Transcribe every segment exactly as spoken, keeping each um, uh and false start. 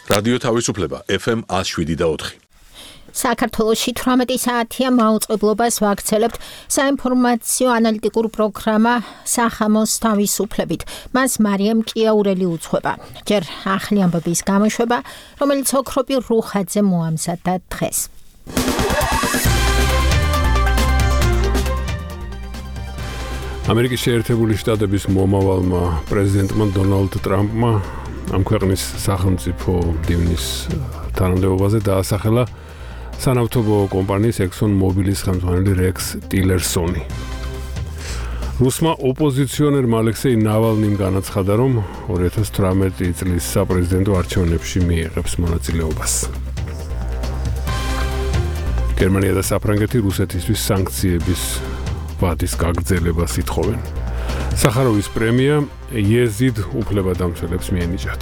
რადიო თავისუფლება ეფ ემ one oh seven და four. საქართველოში თვრამეტი საათია მაუწყებლობას ვაქცელებთ საინფორმაციო ანალიტიკურ პროგრამა სახამოს თავისუფლებით. მას მარიამ კიაურელი უძღვება. ჯერ ახალი ამბების გამოშვება, რომელიც ოქროპი რუხაძე მოამზადა დღეს. ამერიკის შეერთებული შტატების მომავალმა პრეზიდენტმა დონალდ ტრამპმა ამ ქვეყნის სახელმწიფო მდივნის თანამდებობაზე დაასახელა სანავთობო კომპანიის Exxon Mobilis ხელმძღვანელი რექს ტილერსონი. რუსმა ოპოზიციონერმა ალექსეი ნავალნიმ განაცხადა, რომ two thousand eighteen წლის საპრეზიდენტო არჩევნებში მიიღებს მონაწილეობას. გერმანია და საფრანგეთი რუსეთისთვის სანქციების ვადის გაგრძელებას ითხოვენ. სახაროვის პრემია იეზიდ უფლებადამცველებს მიენიჭათ.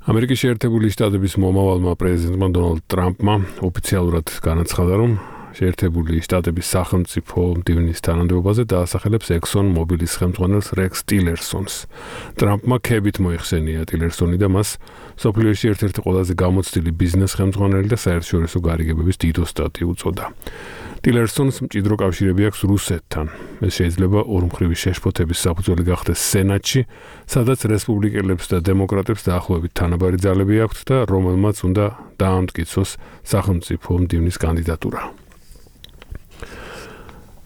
ამერიკის შეერთებული შტატების მომავალმა პრეზიდენტმა დონალდ ტრამპმა ოფიციალურად განაცხადა, რომ შეერთებული შტატების სახელმწიფო მდივნის თანამდებობაზე დაასახელებს Exxon Mobilis ხელმძღვანელს რექს ტილერსონს. ტრამპმა ქებით მოიხსენია ტილერსონი და მას სოფლიოში ერთ-ერთი ყველაზე გამოცდილი ბიზნეს ხელმძღვანელი და საერთაშორისო გარიგებების დიდ ოსტატი უწოდა. ტილერსონს მჭიდრო კავშირები აქვს რუსეთთან. ეს შეიძლება ორმხრივი შეშფოთების საფუძველი გახდეს სენატში, სადაც რესპუბლიკელებს და დემოკრატებს დაახლოებით თანაბარი ძალები აქვთ და რომელმაც უნდა დაამტკიცოს სახელმწიფო მდივნის კანდიდატურა.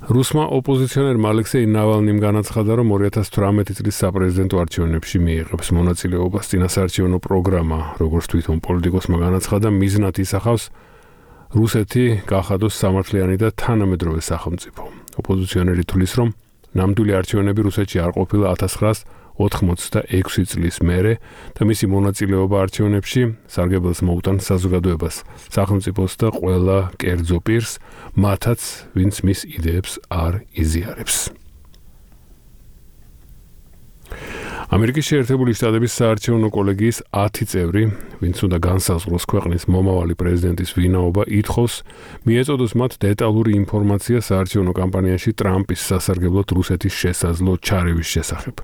რუსმა ოპოზიციონერმა ალექსეი ნავალნიმ განაცხადა, რომ two thousand eighteen წლის საპრეზიდენტო არჩევნებში მიიღებს მონაწილეობას. წინასაარჩევნო პროგრამა, როგორც თვითონ პოლიტიკოსმა განაცხადა, მიზნად ისახავს რუსეთი გახადოს სამართლიანი და თანამედროვე სახელმწიფო. ოპოზიციონერი თვლის, რომ ნამდვილი არჩევნები რუსეთში არ ყოფილა nineteen ninety-six წლის მერე და მისი მონაწილეობა არჩევნებში სარგებელს მოუტანს საზოგადოებას, სახელმწიფოს და ყველა კერძო პირს, მათაც, ვინც მის იდეებს არ იზიარებს. ამერიკის შეერთებული შტატების საარჩევნო კოლეგიის ten წევრი, ვინც უნდა განსაზღვროს ქვეყნის მომავალი პრეზიდენტის ვინაობა, ითხოვს მიეწოდოს მათ დეტალური ინფორმაცია საარჩევნო კამპანიაში ტრამპის სასარგებლოდ რუსეთის შესაძლო ჩარევის შესახებ.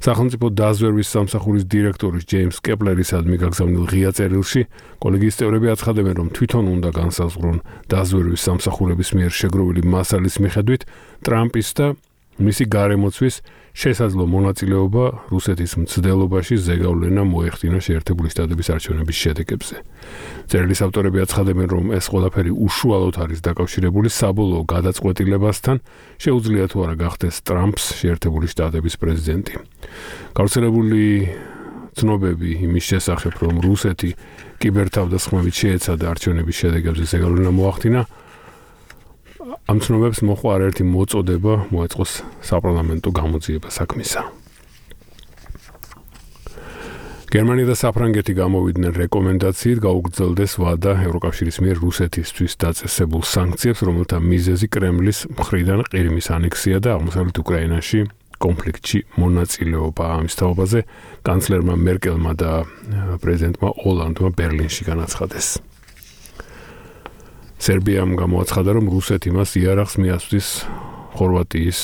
სახელმწიფო დაზვერვის სამსახურის დირექტორის ჯეიმს კეპლერისადმი გაგზავნილ ღია წერილში კოლეგიის წევრები აცხადებენ, რომ თვითონ უნდა განსაზღვრონ დაზვერვის სამსახურების მიერ შეგროვილი მასალის მიხედვით ტრამპის და მისი გარემოცვის შესაძლო მონაწილეობა რუსეთის მცდელობაში ზეგავლენა მოეხდინა შეერთებული შტატების არჩევნების შედეგებზე. წერილის ავტორები აცხადებენ, რომ ეს ყველაფერი უშუალოდ არის დაკავშირებული საბოლოო გადაწყვეტილებასთან, შეუძლია თუ არა გახდეს ტრამპს შეერთებული შტატების პრეზიდენტი. გავრცელებული ცნობები იმის შესახებ, რომ რუსეთი კიბერთავდასხმებით შეეცადა არჩევნების შედეგებზე ზეგავლენა მოახდინა, ამ ცნობებს მოყვა არაერთი მოწოდება მოეწყოს საპარლამენტო გამოძიება საქმისა. გერმანია და საფრანგეთი გამოვიდნენ რეკომენდაციით გაუგრძელდეს ვადა ევროკავშირის მიერ რუსეთისთვის დაწესებულ სანქციებს, რომელთა მიზეზი კრემლის მხრიდან ყირიმის ანექსია და აღმოსავლეთ უკრაინაში კონფლიქტში მონაწილეობა. ამის თაობაზე კანცლერმა მერკელმა და პრეზიდენტმა ოლანდმა ბერლინში განაცხადეს. სერბიამ გამოაცხადა, რომ რუსეთი მას იარაღს მიასვლის ხორვატიის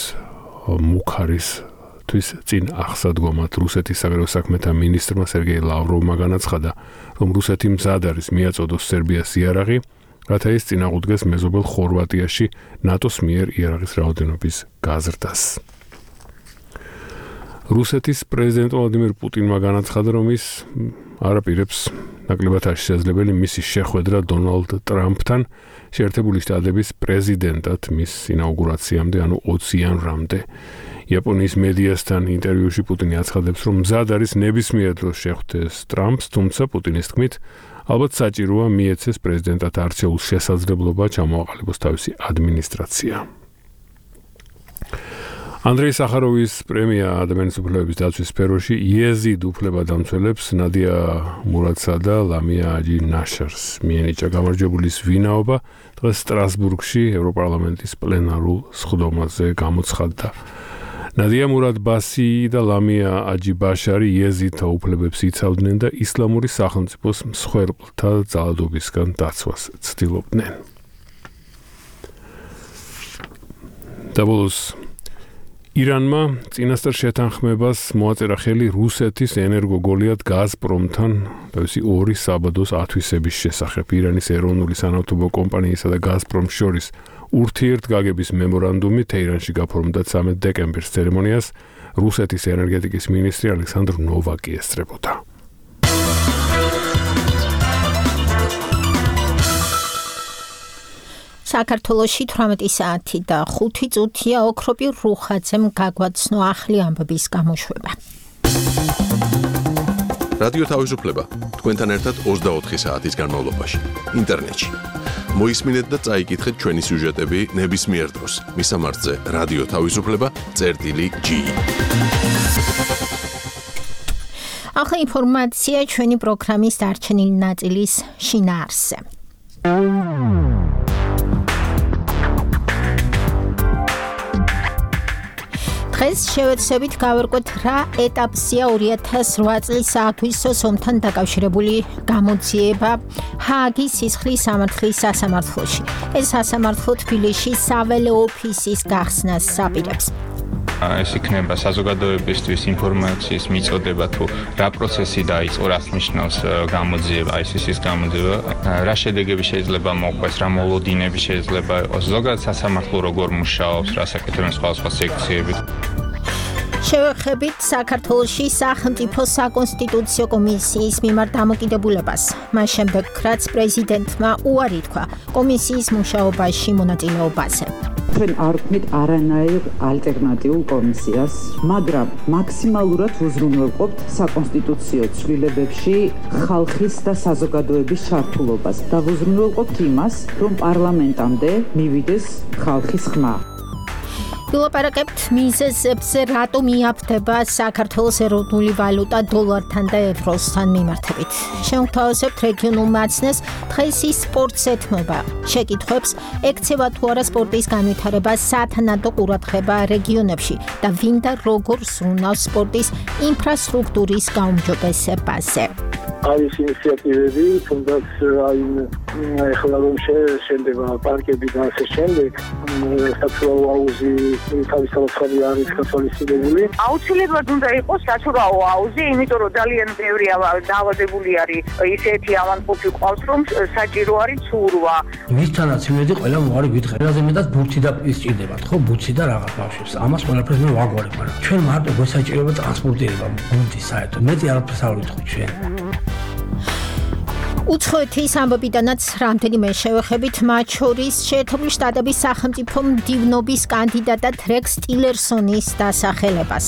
მუქარისთვის წინ აღსადგომად. რუსეთის საგარეო საქმეთა მინისტრმა სერგეი ლავროვმა განაცხადა, რომ რუსეთი მზად არის მიაწოდოს სერბიას იარაღი, რათა ის წინააღმდეგეს მეზობელ ხორვატიაში ნატოს მიერ იარაღის რაოდენობის გაზრდას. რუსეთის პრეზიდენტ ვლადიმირ პუტინმა განაცხადა, რომ ის არაპირებს ნაკლებად არ შესაძლებელი მისი შეხვედრა დონალდ ტრამპთან შეერთებული შტატების პრეზიდენტად მის ინაუგურაციამდე, ანუ twenty იანვრამდე. იაპონიის მედიასთან ინტერვიუში პუტინი აცხადებს, რომ მზად არის ნებისმიერ დროს შეხვდეს ტრამპს, თუმცა პუტინის თქმით, ალბათ საჭიროა მიეცეს პრეზიდენტად არჩეულ შესაძლებლობა ჩამოაყალიბოს თავისი ადმინისტრაცია. ანდრეი სახაროვის პრემია ადამიანის უფლებების დაცვის სფეროში იეზიდ უფლებადამცველებს ნადია მურადსა და ლამია აჯი ნაშარს მიენიჭა გამარჯვებულის ვინაობა დღეს სტრასბურგში ევროპარლამენტის პლენარულ სხდომაზე გამოცხადდა. ნადია მურადბასი და ლამია აჯი ბაშარი იეზიდთა უფლებებს იცავდნენ და ისლამური სახელმწიფოს მსხვერპლთა ძალადობისგან დაცვას ცდილობდნენ. დაბოლოს ირანმა წინასწარ შეთანხმებას მოაწერა ხელი რუსეთის ენერგოგოლიათ გაზპრომთან თავისი ორი საბადოს ათვისების შესახებ. ირანის ეროვნული სანავთობო კომპანიისა და გაზპრომს შორის ურთიერთგაგების მემორანდუმი თეირანში გაფორმდა ცამეტ დეკემბრის ცერემონიას რუსეთის ენერგეტიკის მინისტრი ალექსანდრ ნოვაკი ესწრებოდა. საქართველოში თვრამეტი საათი და ხუთი წუთია ოქროპი რუხაძემ გაგვაცნო ახლი ამბების გამოშვება. რადიო თავისუფლება თქვენთან ერთად ოცდაოთხი საათის განმავლობაში ინტერნეტში. მოისმინეთ და წაიკითხეთ ჩვენი სიუჟეტები ნებისმიერ დროს. მისამართზე რადიო თავისუფლება წერტილი ჯი. ახლა ინფორმაცია ჩვენი პროგრამის დარჩენილი ნაწილის შინაარსზე. დღეს შევეცდებით გავერკვეთ რა ეტაპზეა ორი ათას რვა წლის აგვისტოს ომთან დაკავშირებული გამოძიება ჰააგის სისხლის სამართლის სასამართლოში. ეს სასამართლო თბილისში საველე ოფისის გახსნას აპირებს. ეს იქნება საზოგადოებისთვის ინფორმაციის მიწოდება თუ რა პროცესი დაიწყო, რას ნიშნავს გამოძიება, აი ეს გამოძიება, რა შედეგები შეიძლება მოყვეს, რა მოლოდინები შეიძლება იყოს, ზოგადად სასამართლო როგორ მუშაობს, რა საკითხებია სხვადასხვა სექციები. შევეხებით საქართველოში სახელმწიფო საკონსტიტუციო კომისიის მიმართ დამოკიდებულებას. მას შემდეგ, რაც პრეზიდენტმა უარი თქვა კომისიის მუშაობაში მონაწილეობაზე. ჩვენ არ ვქმნით არანაირ ალტერნატიულ კომისიას, მაგრამ მაქსიმალურად უზრუნველყოფთ საკონსტიტუციო ცვლილებებში ხალხის და საზოგადოების ჩართულობას და ვუზრუნველყოფთ იმას, რომ პარლამენტამდე მივიდეს ხალხის ხმა. ვილაპარაკებთ მიზეზებზე, რატომ იაფდება საქართველოს ეროვნული ვალუტა დოლართან და ევროსთან მიმართებით. შევთავაზებთ რეგიონულ მაცნეს დღეს ის სპორტს ეთმობა. შეკითხვებს ექცევა თუ არა სპორტის განვითარება სათანადო ყურადღება რეგიონებში და ვინ და როგორ ზრუნავს სპორტის ინფრასტრუქტურის გაუმჯობესებაზე. არის ინიციატივები, თუნდაც აი ეხლა რომ შენდება პარკები და ასე შემდეგ, საცურაო აუზი თავისთავად არის გათვალისწინებული. აუცილებლად უნდა იყოს საცურაო აუზი, იმიტომ რომ ძალიან ბევრი დაავადებული არის ისეთი ავანპოფი ყავს, რომ საჭირო არის ცურვა. მისთანაც იმედი ყველა მოარი გითხრა. ყველაზე მეტად ბურთი და ისჭირდებათ, ხო, ბურთი და რაღაც ბავშვებს. ამას ყველაფერს მე ვაგვარებ, მაგრამ ჩვენ მარტო გვესაჭიროება ტრანსპორტირება, ბურთი საერთოდ. მეტი არაფერს არ ვითხოვთ ჩვენ. უცხოეთის ამბობიდანაც რამდენიმე შევეხებით, მათ შორის შეერთებული შტატების სახელმწიფო მდივნობის კანდიდატად რექს ტილერსონის დასახელებას.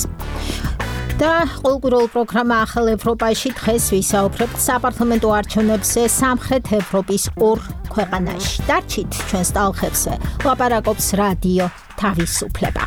და ყოველკვირეულ პროგრამა ახალ ევროპაში დღეს ვისაუბრებთ საპარლამენტო არჩევნებზე სამხრეთ ევროპის ორ ქვეყანაში. დარჩით ჩვენს ტალღებზე, ლაპარაკობს რადიო თავისუფლება.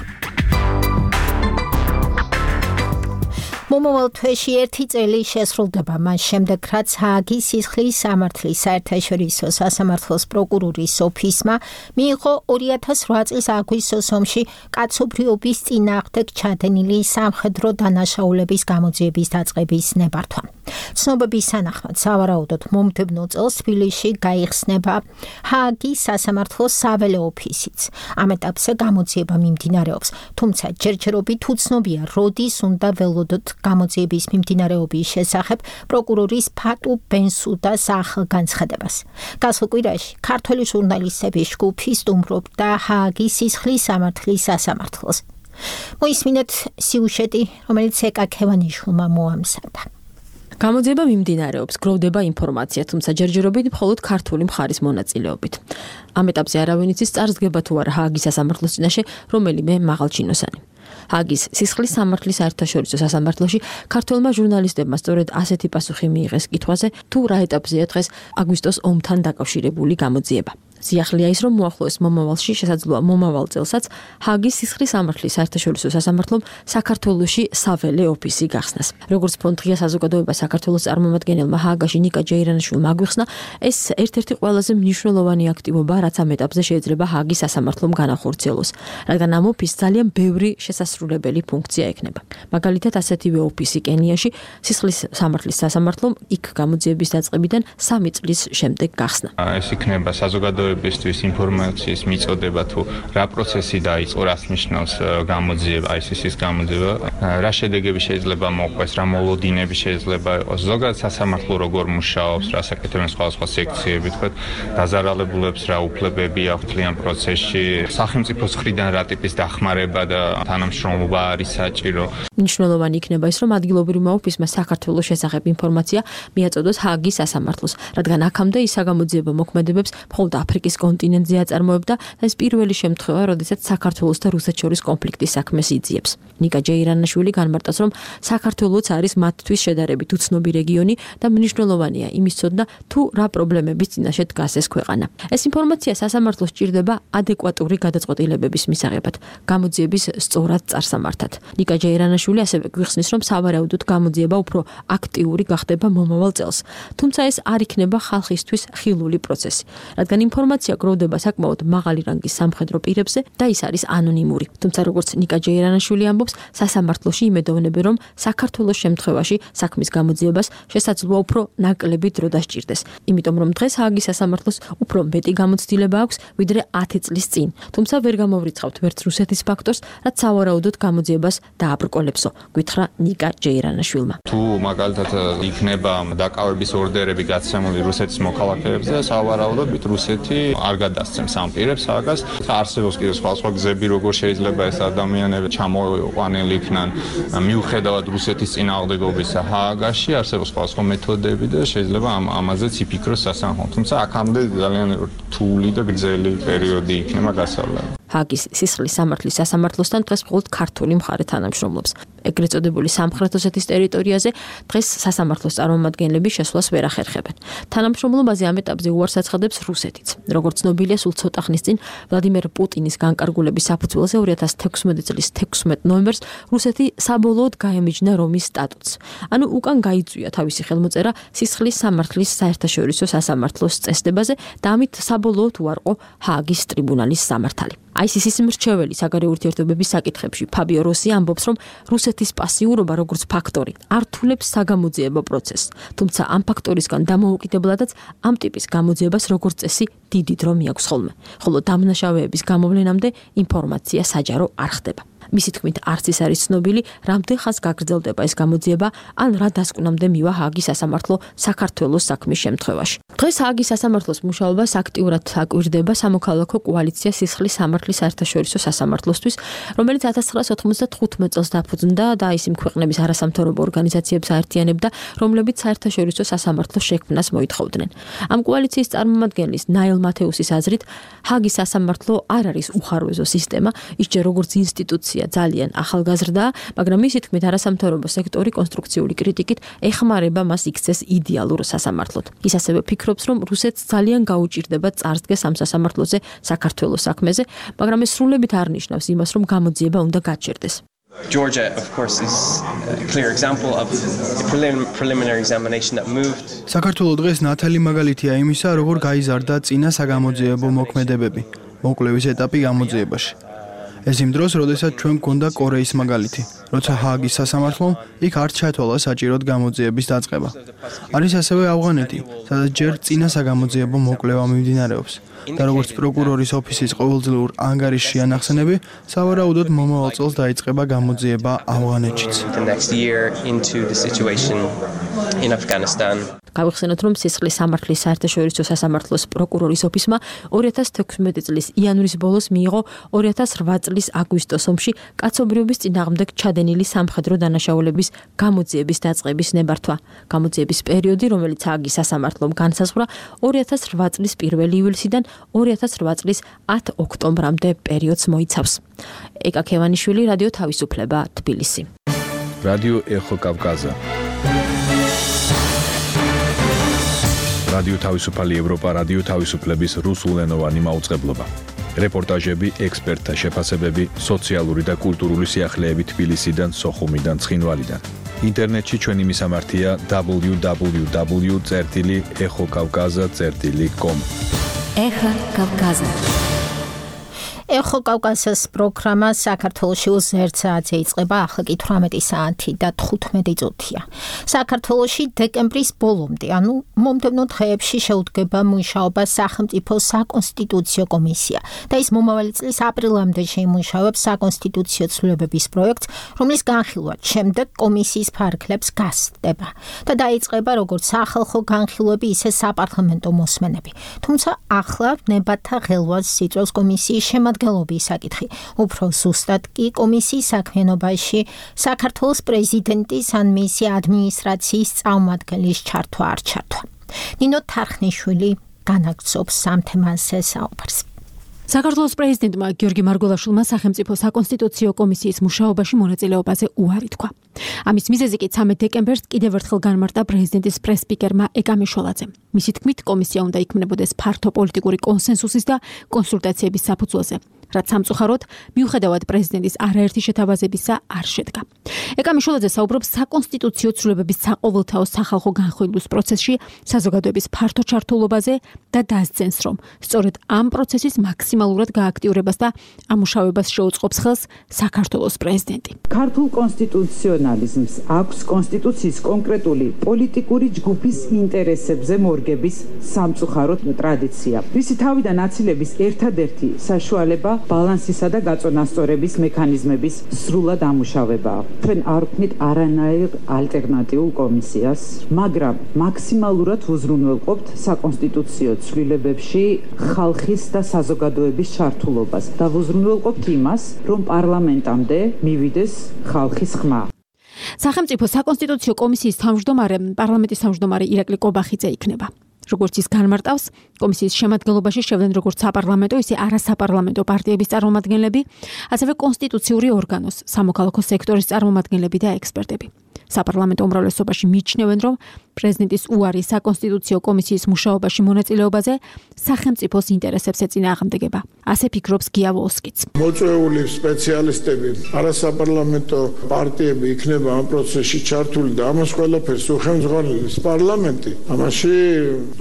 მომავალ თვეში ერთი წელი შესრულდება მას შემდეგ, რაც ჰააგის სისხლის სამართლის საერთაშორისო სასამართლოს პროკურორის ოფისმა მიიღო ორი ათას რვა წლის აგვისტოს ომში კაცობრიობის წინააღმდეგ ჩადენილი სამხედრო დანაშაულების გამოძიების დაწყების ნებართვა. ცნობების თანახმად, სავარაუდოდ მომდევნო წელს თბილისში გაიხსნება ჰააგის სასამართლოს საველე ოფისიც. ამ ეტაპზე გამოძიება მიმდინარეობს, თუმცა ჯერჯერობით უცნობია, როდის უნდა ველოდოთ გამოძიების მიმდინარეობის შესახებ პროკურორის ფატუ ბენსუდას ახალგანცხადებას. გასულ კვირაში ქართველი ჟურნალისტების ჯგუფი სტუმრობდა ჰააგის სისხლის სამართლის სასამართლოს. მოისმინეთ სიუჟეტი, რომელიც ეკა ქევანიშვილმა მოამზადა. გამოძიება მიმდინარეობს, გროვდება ინფორმაცია, თუმცა ჯერჯერობით მხოლოდ ქართული მხარის მონაწილეობით. ამ ეტაპზე არავინ იცის წარსდგება თუ არა ჰააგის სასამართლოს წინაშე რომელიმე მაღალჩინოსანი. ჰააგის სისხლის სამართლის საერთაშორისო სასამართლოში ქართველმა ჟურნალისტებმა სწორედ ასეთი პასუხი მიიღეს კითხვაზე, თუ რა ეტაპზეა დღეს აგვისტოს ომთან დაკავშირებული გამოძიება. სიახლეა ის, რომ მოახლოეს მომავალში, შესაძლოა მომავალ წელსაც ჰააგის სისხლის სამართლის საერთაშორისო სასამართლომ საქართველოში საველე ოფისი გახსნას. როგორც ფონდღია საზოგადოება საქართველოს წარმომადგენელმა ჰააგაში ნიკა ჯეირანაშვილმა აგვიხსნა, ეს ერთ-ერთი ყველაზე მნიშვნელოვანი აქტივობა, რაც ამ ეტაპზე შეიძლება ჰააგის სასამართლომ განახორციელოს, რადგან ამ ოფისს ძალიან ბევრი შესასრულებელი ფუნქცია ექნება. მაგალითად, ასეთივე ოფისი კენიაში სისხლის სამართლის სასამართლომ იქ გამოძიების დაწყებიდან სამი წლის შემდეგ გახსნა. ეს იქნება საზოგადოებისთვის ინფორმაციის მიწოდება თუ რა პროცესი დაიწყო, რას ნიშნავს გამოძიება, აი ეს ის გამოძიება, რა შედეგები შეიძლება მოყვეს, რა მოლოდინები შეიძლება იყოს, ზოგადად სასამართლო როგორ მუშაობს, რა საკეთებენ სხვადასხვა სექციები, თქვა დაზარალებულებს რა უფლებები აქვთ ძალიან პროცესში, სახელმწიფოს მხრიდან რა ტიპის დახმარება და თანამშრომლობა არის საჭირო. მნიშვნელოვანი იქნება ის, რომ ადგილობრივმა ოფისმა საქართველოს შესახებ ინფორმაცია მიაწოდოს ჰააგის სასამართლოს, რადგან აქამდე ის საგამოძიებო მოქმედებებს მხოლოდ აფრიკის კონტინენტზე აწარმოებდა და ეს პირველი შემთხვევა, როდესაც საქართველოს და რუსეთს შორის კონფლიქტის საქმეს იძიებს. ნიკა ჯეირანაშვილი განმარტავს, რომ საქართველოც არის მათთვის შედარებით უცნობი რეგიონი და მნიშვნელოვანია იმის ცოდნა, თუ რა პრობლემების წინაშე დგას ეს ქვეყანა. ეს ინფორმაცია სასამართლოს სჭირდება ადეკვატური გადაწყვეტილებების მისაღებად, გამოძიების სწორად წარსამართად. ნიკა ჯეირანაშვილი ასევე გვიხსნის, რომ სავარაუდოდ გამოძიება უფრო აქტიური გახდება მომავალ წელს. თუმცა ეს არ იქნება ხალხისთვის ხილული პროცესი, რადგან ინფორმაცია გროვდება საკმაოდ მაღალი რანგის სამხედრო პირებზე და ის არის ანონიმური. თუმცა როგორც ნიკა ჯეირანაშვილი ამბობს, სასამართლოში იმედოვნებენ, რომ საქართველოს შემთხვევაში საქმის გამოძიებას შესაძლოა უფრო ნაკლები დრო დასჭირდეს. იმიტომ რომ დღეს ჰააგის სასამართლოს უფრო მეტი გამოცდილება აქვს, ვიდრე ათი წლის წინ. თუმცა ვერ გამოვრიცხავთ ვერც რუსეთის ფაქტორს, რაც სავარაუდოდ გამოძიებას დააბრკოლებსო, გითხრა ნიკა ჯეირანაშვილმა. თუ მაგალითად იქნება დაკავების ორდერები გაცემული რუსეთის მოქალაქეებზე, სავარაუდოდ რუსეთი არ გადასცემს ამ პირებს ჰააგას. არსებობს კიდევ სხვა სხვა გზები, როგორ შეიძლება ეს ადამიანები ჩამოყვანილი იქნან მიუხედავად რუსეთის წინააღმდეგობის ჰააგაში, არსებობს სხვა სხვა მეთოდები და შეიძლება ამ ამაზეც იფიქროს სასამართლო. თუმცა აქამდე ძალიან რთული და გრძელი პერიოდი იქნება გასავლელი. ჰააგის სისხლის სამართლის სასამართლოსთან დღეს მხოლოდ ქართული მხარე თანამშრომლობს. ეგრეთ წოდებული სამხრეთ ოსეთის ტერიტორიაზე დღეს სასამართლოს წარმომადგენლები შესვლას ვერ ახერხებენ. თანამშრომლობაზე ამ ეტაპზე უარს აცხადებს რუსეთიც. როგორც ცნობილია, სულ ცოტა ხნის წინ ვლადიმერ პუტინის განკარგულების საფუძველზე ორი ათას თექვსმეტი წლის თექვსმეტ ნოემბერს რუსეთი საბოლოოდ გაემიჯნა რომის სტატუტს. ანუ უკან გაიწვია თავისი ხელმოწერა სისხლის სამართლის საერთაშორისო სასამართლოს წესდებაზე და ამით საბოლოოდ უარყო ჰააგის ტრიბუნალის სამართალი. აი ეს ის მრჩეველი საგარეო ურთიერთობების საკითხებში ფაბიო როსი ამბობს, რომ რუსეთის პასიურობა როგორც ფაქტორი ართულებს საგამოძიებო პროცესს. თუმცა ამ ფაქტორისგან დამოუკიდებლადაც ამ ტიპის გამოძიებას როგორც წესი დიდი დრო მიაქვს ხოლმე. ხოლო დამნაშავეების გამოვლენამდე ინფორმაცია საჯარო არ ხდება. მისი თქმით, არც ის არის ცნობილი, რამდენ ხანს გაგრძელდება ეს გამოძიება, ან რა დასკვნამდე მივა ჰააგის სასამართლო საქართველოს საქმის შემთხვევაში. დღეს ჰააგის სასამართლოს მუშაობას აქტიურად აკვირდება სამოქალაქო კოალიცია სისხლის სამართლის საერთაშორისო სასამართლოსთვის, რომელიც ათას ცხრაასი ოთხმოცდათხუთმეტ წელს დაფუძნდა და ის იმ ქვეყნების არასამთავრობო ორგანიზაციებს აერთიანებდა, რომლებიც საერთაშორისო სასამართლოს შექმნას მოითხოვდნენ. ამ კოალიციის წარმომადგენლის ნაილ მათეუსის აზრით, ჰააგის სასამართლო არ არის უხარვეზო სისტემა, ის ჯერ როგორც ინსტიტუცია ძალიან ახალგაზრდაა, მაგრამ მისი თქმით არასამთავრობო სექტორი კონსტრუქციული კრიტიკით ეხმარება მას იქცეს იდეალურ სასამართლოდ. ის ასევე ფიქრობს, რომ რუსეთს ძალიან გაუჭირდება წარსდგეს ამ სასამართლოზე საქართველოს საქმეზე, მაგრამ ეს სრულებით არ ნიშნავს იმას, რომ გამოძიება უნდა გაჩერდეს. Georgia, of course, is a clear example of a prelim preliminary examination that moved. საქართველოს დღეს ნათელი მაგალითია იმისა, როგორ გაიზარდა წინა საგამოძიებო მოქმედებები, მოკლევის ეტაპი გამოძიებაში. ეს იმ დროს, როდესაც ჩვენ გვქონდა კორეის მაგალითი, როცა ჰააგის სასამართლომ იქ არ ჩათვალა საჭიროდ გამოძიების დაწყება. არის ასევე ავღანეთი, სადაც ჯერ წინა საგამოძიებო მოკვლევა მიმდინარეობს. და როგორც პროკურორის ოფისის ყოველდღიურ ანგარიშში ანახსენები, სავარაუდოდ მომავალ წელს დაიწყება გამოძიება ავღანეთშიც. გავიხსენოთ, რომ სისხლის სამართლის საერთაშორისო სასამართლოს პროკურორის ოფისმა ორი ათას თექვსმეტი წლის იანვრის ბოლოს მიიღო ორი ათას რვა წლის აგვისტოს ომში კაცობრიობის წინააღმდეგ ჩადენილი სამხედრო დანაშაულების გამოძიების დაწყების ნებართვა. გამოძიების პერიოდი, რომელიც ჰააგის სასამართლომ განსაზღვრა ორი ათას რვა წლის პირველი ივლისიდან ორი ათას რვა წლის ათი ოქტომბრამდე პერიოდს მოიცავს. ეკა ქევანიშვილი, რადიო თავისუფლება, თბილისი. რადიო ეხო კავკაზა. რადიო თავისუფალი ევროპა, რადიო თავისუფლების რუსულენოვანი მაუწყებლობა. რეპორტაჟები, ექსპერტთა შეფასებები, სოციალური და კულტურული სიახლეები თბილისიდან, სოხუმიდან, ცხინვალიდან. ინტერნეტში ჩვენი მისამართია დაბლიუ დაბლიუ დაბლიუ წერტილი ეხო კავკაზა წერტილი კომ. ეხა კავკაზა. ეხო კავკასიის პროგრამა საქართველოში ოცდაერთ საათზე იწყება, ახლა კი თვრამეტი საათი და თხუთმეტი წუთია. საქართველოში დეკემბრის ბოლომდე, ანუ მომდევნო დღეებში შეუდგება მუშაობა სახელმწიფო საკონსტიტუციო კომისია და ის მომავალი წლის აპრილამდე შეიმუშავებს საკონსტიტუციო ცვლილებების პროექტს, რომლის განხილვა შემდეგ კომისიის ფარგლებს გასცდება და დაიწყება როგორც სახალხო განხილვები, ისე საპარლამენტო მოსმენები. თუმცა ახლა ნებათა ღელვას იწვევს კომისიის შემადგენლობის საკითხი. უფრო ზუსტად კი კომისიის საქმიანობაში საქართველოს პრეზიდენტის ან მისი ადმინისტრაციის წარმომადგენლის ჩართვა არ ჩართვა. ნინო თარხნიშვილი განაგრძობს ამ თემაზე საუბარს. საქართველოს პრეზიდენტმა გიორგი მარგველაშვილმა სახელმწიფო საკონსტიტუციო კომისიის მუშაობაში მონაწილეობაზე უარი თქვა. ამის მიზეზი კი ცამეტ დეკემბერს კიდევ ერთხელ განმარტა პრეზიდენტის პრეს-სპიკერმა ეკა მიშველაძემ. მისი თქმით, კომისია უნდა იქმნებოდეს ფართო პოლიტიკური კონსენსუსის და კონსულტაციების საფუძველზე, რაც სამწუხაროდ მიუხედავად პრეზიდენტის არაერთი შეთავაზებისა არ შედგა. ეკა მიშველაძე საუბრობს საკონსტიტუციო ცვლილებების საყოველთაო სახალხო განხილვის პროცესში საზოგადოების ფართო ჩართულობაზე და დასძენს, რომ სწორედ ამ პროცესის მაქსიმალურად გააქტიურებას და ამუშავებას შეუწყობს ხელს საქართველოს პრეზიდენტი. ქართულ კონსტიტუციონალიზმს აქვს კონსტიტუციის კონკრეტული პოლიტიკური ჯგუფის ინტერესებზე მორგების სამწუხაროდ ტრადიცია. მისი თავიდან აცილების ერთადერთი საშუალება ბალანსისა და გაწონასწორების მექანიზმების სრულად ამუშავებაა. ჩვენ არ ვქმნით არანაირ ალტერნატიულ კომისიას, მაგრამ მაქსიმალურად უზრუნველყოფთ საკონსტიტუციო ცვლილებებში ხალხის და საზოგადოების ჩართულობას და უზრუნველყოფთ იმას, რომ პარლამენტამდე მივიდეს ხალხის ხმა. სახელმწიფო საკონსტიტუციო კომისიის თავმჯდომარე პარლამენტის თავმჯდომარე ირაკლი კობახიძე იქნება. როგორც ის განმარტავს, კომისიის შემადგენლობაში შევდნენ როგორც საპარლამენტო, ისე არასაპარლამენტო პარტიების წარმომადგენლები, ასევე კონსტიტუციური ორგანოს, სამოქალაქო სექტორის წარმომადგენლები და ექსპერტები. საპარლამენტო უმრავლესობაში მიიჩნევენ, რომ პრეზიდენტის უარი საკონსტიტუციო კომისიის მუშაობაში მონაწილეობაზე სახელმწიფოს ინტერესებს ეწინააღმდეგება. ასე ფიქრობს გია ვოლსკიც. მოწვეული სპეციალისტები, არასაპარლამენტო პარტიები იქნება ამ პროცესში ჩართული და ამას ყველაფერს უხელმძღვანელობს პარლამენტი. ამაში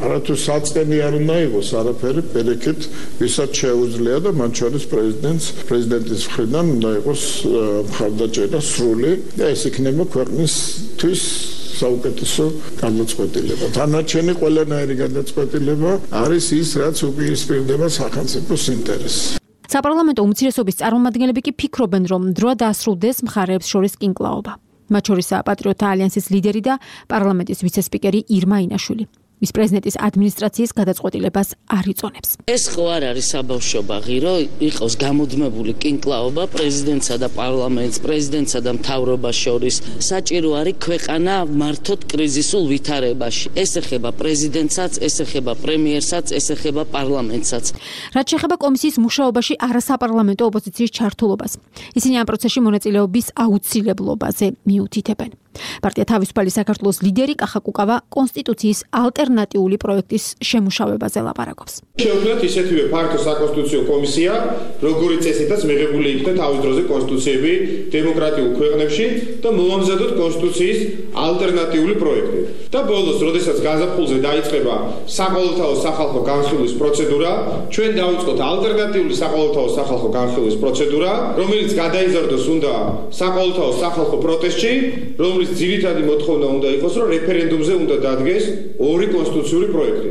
არათუ საწყენი არ უნდა იყოს არაფერი, პირიქით, ვისაც შეუძლია და მათ შორის პრეზიდენტს, პრეზიდენტის მხრიდან უნდა იყოს მხარდაჭერა სრული და ეს იქნება ქვეყნის თვის საუკეთესო გადაწყვეტილება. თანაჩენი ყველანაირი გადაწყვეტილება არის ის, რაც უპირისპირდება სახელმწიფოს ინტერესს. საპარლამენტო უმცირესობის წარმომადგენლები კი ფიქრობენ, რომ დროა დაასრულდეს მხარეებს შორის კინკლაობა. მათ შორისაა პატრიოტთა ალიანსის ლიდერი და პარლამენტის ვიცე-სპიკერი ირმა ინაშვილი. ის პრეზიდენტის ადმინისტრაციის გადაწყვეტილებას არ იწონებს. ეს ხო არ არის საბავშვობა ღირო, იყოს გამუდმებული კინკლაობა პრეზიდენტსა და პარლამენტს, პრეზიდენტსა და მთავრობას შორის. საჭირო არის ქვეყანა მართოთ კრიზისულ ვითარებაში. ეს ეხება პრეზიდენტსაც, ეს ეხება პრემიერსაც, ეს ეხება პარლამენტსაც. რაც შეეხება კომისიის მუშაობაში არასაპარლამენტო ოპოზიციის ჩართულობას, ისინი ამ პროცესში მონაწილეობის აუცილებლობაზე მიუთითებენ. პარტია თავისუფალი საქართველოს ლიდერი კახა კუკავა კონსტიტუციის ალტერნატიული პროექტის შემუშავებაზე ლაპარაკობს. Შეუძლიათ ისეთივე ფართო საკონსტიტუციო კომისია, როგორიც წესითაც მიღებული იქნა თავის დროზე კონსტიტუციები დემოკრატიულ ქვეყნებში და მოამზადოთ კონსტიტუციის ალტერნატიული პროექტი. და ბოლოს, როდესაც გაზაფხულზე დაიწყება საყოველთაო სახალხო განხილვის პროცედურა, ჩვენ დავიწყოთ ალტერნატიული საყოველთაო სახალხო განხილვის პროცედურა, რომელიც გადაიზარდოს უნდა საყოველთაო სახალხო პროტესტში, რომელიც ძირითადი მოთხოვნა უნდა იყოს, რომ რეფერენდუმზე უნდა დადგეს ორი კონსტიტუციური პროექტი.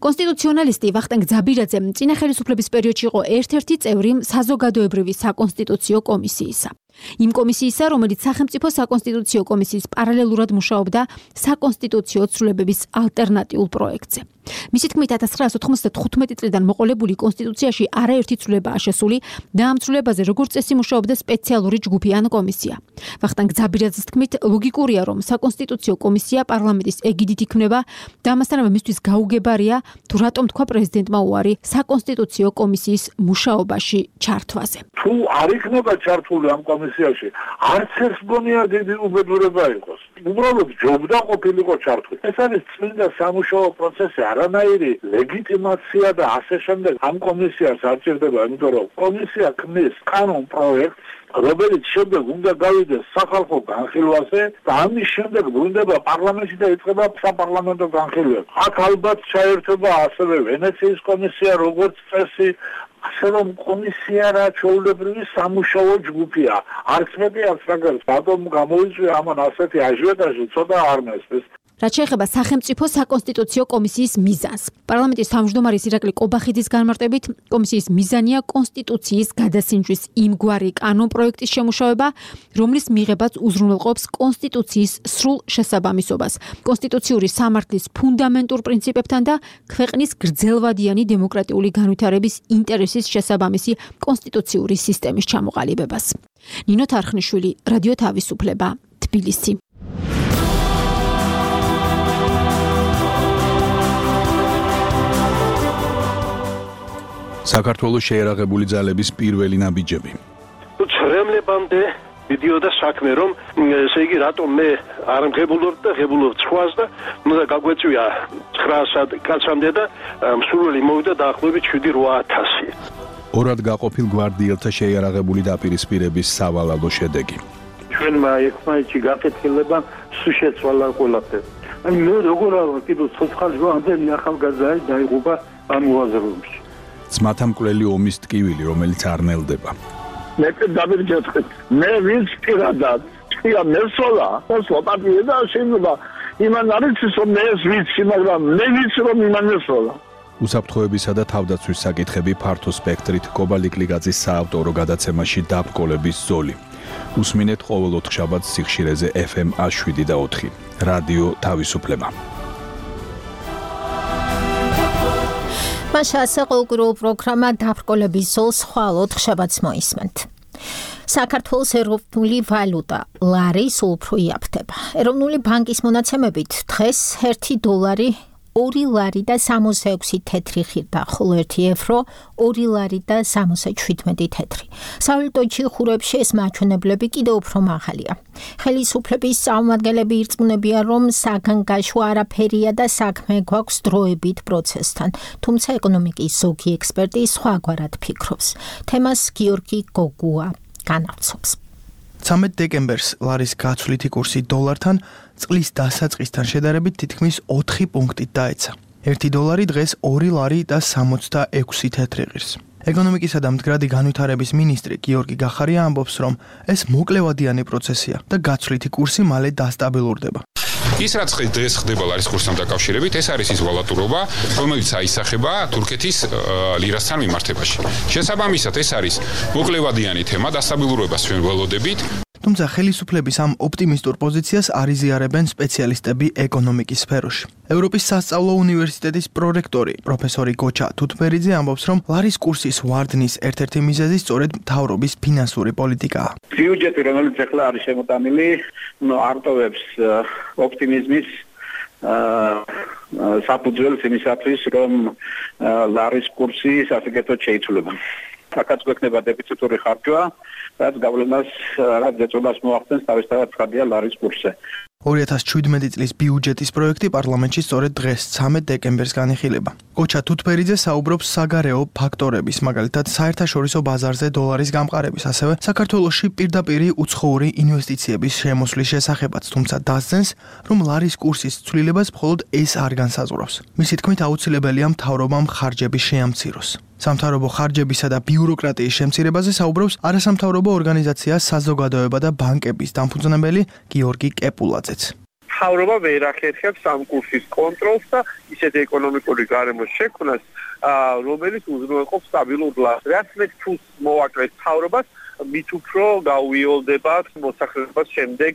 კონსტიტუციონალისტი ვახტანგ ძაბირაძე წინა ხელისუფლების პერიოდში იყო ერთ-ერთი წევრი საზოგადოებრივი საკონსტიტუციო კომისიისა. იმ კომისიისა, რომელიც სახელმწიფო საკონსტიტუციო კომისიის პარალელურად მუშაობდა საკონსტიტუციო ცვლილებების ალტერნატიულ პროექტზე. მისი თქმით, ათას ცხრაასი ოთხმოცდათხუთმეტი წლიდან მოყოლებული კონსტიტუციაში არაერთი ცვლილებაა შესული და ამ ცვლილებაზე როგორც წესი მუშაობდა სპეციალური ჯგუფი ან კომისია. ვახტანგ ძაბირაძის თქმით, ლოგიკურია, რომ საკონსტიტუციო კომისია პარლამენტის ეგიდით იქმნება და ამასთანავე მისთვის გაუგებარია თუ რატომ თქვა პრეზიდენტმა უარი საკონსტიტუციო კომისიის მუშაობაში ჩართვაზე. თუ არ იქნება ჩართული ამ კომისიაში, არც ეს გონია დიდი უბედურება იყოს. უბრალოდ ჯობდა ყოფილიყო ჩართული. ეს არის წმინდა სამუშაო პროცესი, არანაირი ლეგიტიმაცია და ასე შემდეგ ამ კომისიას არ ჭირდება, იმიტომ რომ კომისია ქმნის კანონ პროექტს, რომელიც შემდეგ უნდა გავიდეს სახალხო განხილვაზე და ამის შემდეგ ბრუნდება პარლამენტში და იწყება საპარლამენტო განხილვები. აქ ალბათ ჩაერთვება ასევე ვენეციის კომისია, როგორც წესი, ასე რომ კომისია რა ჩვეულებრივი სამუშაო ჯგუფია. არც მეტი არც მაგალითად ბატონ გამოიწვია ამან ასეთი აჟიოტაჟი ცოტა არ მესწრეს. რაც შეეხება სახელმწიფო საკონსტიტუციო კომისიის მიზანს. პარლამენტის თავმჯდომარის ირაკლი კობახიძის განმარტებით, კომისიის მიზანია კონსტიტუციის გადასინჯვის იმგვარი კანონპროექტის შემუშავება, რომლის მიღებაც უზრუნველყოფს კონსტიტუციის სრულ შესაბამისობას, კონსტიტუციური სამართლის ფუნდამენტურ პრინციპებთან და ქვეყნის გრძელვადიანი დემოკრატიული განვითარების ინტერესის შესაბამისი კონსტიტუციური სისტემის ჩამოყალიბებას. ნინო თარხნიშვილი, რადიო თავისუფლება, თბილისი. საქართველოს შეერაღებული ძალების პირველი ნაბიჯები. ცრემლებამდე მიდიოდა საქმე, რომ ესე იგი რატომ მე არ მღებულობ და ღებულობ ცხვას და უნდა გაგვეწვია ცხრაასად კაცამდე და მსურველი მოვიდა დაახლოებით შვიდი რვა ათასი. ორად გაყოფილ გვარდიელთა შეერაღებული დაპირისპირების სავალალო შედეგი. ჩვენმა ერთმანეთში გაკეთილება სულ შეცვალა ყველაფერი. აი მე როგორ არა კიდევ ცოცხალი ამდენი ახალგაზრდა დაიღუპა ამ უაზროებში. ძმათა მკვლელი ომის ტკივილი, რომელიც არ ნელდება. მე დავირჯეთქეთ. მე ვინც პირადად წია მესოლა, ოსო პარტია და შეიძლება იმან არის რომ მე ვიცი, მაგრამ მე ვიცი რომ იმან მესოლა. უსაფრთხოებისა და თავდაცვის საკითხები ფართო სპექტრით კობალიკლიგაძის საავტორო გადაცემაში დაბრკოლების ზოლი. უსმინეთ ყოველ ოთხშაბათს სიხშირეზე ეფ ემ შვიდი და ოთხი. რადიო თავისუფლება. მაშა საყოველთაო პროგრამა დაბრკოლების ზოლს ხვალ ოთხშაბათს მოისმენთ. საქართველოს ეროვნული ვალუტა ლარი სულ უფრო იაფდება. ეროვნული ბანკის მონაცემებით დღეს ერთი დოლარი ორი ლარი და სამოცდაექვსი თეთრი ღირდა, ხოლო ერთი ევრო ორი ლარი და სამოცდაჩვიდმეტი თეთრი. სავალუტო ხურებში ეს მაჩვენებლები კიდევ უფრო მაღალია. ხელისუფლების წარმომადგენლები ირწმუნებიან, რომ საგანგაშო არაფერია და საქმე გვაქვს დროებით პროცესთან, თუმცა ეკონომიკის ზოგი ექსპერტი სხვაგვარად ფიქრობს. თემას გიორგი გოგუა განავრცობს. ცამეტ დეკემბერს ლარის გაცვლითი კურსი დოლართან წყლის დასაწყისთან შედარებით თითქმის ოთხი პუნქტით დაეცა. ერთი დოლარი დღეს ორი ლარი და სამოცდაექვსი თეთრი ღირს. ეკონომიკისა და მდგრადი განვითარების მინისტრი გიორგი გახარია ამბობს, რომ ეს მოკლევადიანი პროცესია და გაცვლითი კურსი მალე დასტაბილურდება. ის რაც დღეს ხდება ლარის კურსთან დაკავშირებით, ეს არის ის ვალუტურობა, რომელიც აისახება თურქეთის ლირასთან მიმართებაში. შესაბამისად, ეს არის მოკლევადიანი თემა, დასტაბილურებას ჩვენ ველოდებით. თუმცა ხელისუფლების ამ ოპტიმისტურ პოზიციას არ იზიარებენ სპეციალისტები ეკონომიკის სფეროში. ევროპის სასწავლო უნივერსიტეტის პრორექტორი პროფესორი გოჩა თუთბერიძე ამბობს, რომ ლარის კურსის ვარდნის ერთ-ერთი მიზეზი სწორედ მთავრობის ფინანსური პოლიტიკაა. ბიუჯეტი, რომელიც ახლა არის შემოტანილი, არტოვებს ოპტიმიზმის საფუძველს იმისათვის, რომ ლარის კურსი სასიკეთოდ შეიცვლება. აქაც გვექნება დეფიციტური ხარჯვა, რაც გავლენას, რაც ზეწოლას მოახდენს თავისთავად ხარჯია ლარის კურსზე. ორი ათას შვიდმეტი წლის ბიუჯეტის პროექტი პარლამენტში სწორედ დღეს ცამეტ დეკემბერს განიხილება. გოჩა თუთბერიძე საუბრობს საგარეო ფაქტორების, მაგალითად საერთაშორისო ბაზარზე დოლარის გამყარების, ასევე საქართველოში პირდაპირი უცხოური ინვესტიციების შემოსვლის შესახებაც, თუმცა დასძენს, რომ ლარის კურსის ცვლილებას მხოლოდ ეს არ განსაზღვრავს. მისი თქმით, აუცილებელია მთავრობამ ხარჯების შეამციროს. სამთავრობო ხარჯებისა და ბიუროკრატიის შემცირებაზე საუბრობს არასამთავრობო ორგანიზაცია საზოგადოება და ბანკების დამფუძნებელი გიორგი კეპულაძეც. მთავრობა ვერ ახერხებს ამ კურსის კონტროლს და ისეთ ეკონომიკური გარემოს შექმნას, რომელიც უზრუნველყოფს სტაბილურ ლარს. რაც მეტ ფულს მოვაკლეთ მთავრობას, მით უფრო გაუიოლდება მოსახლეობას შემდეგ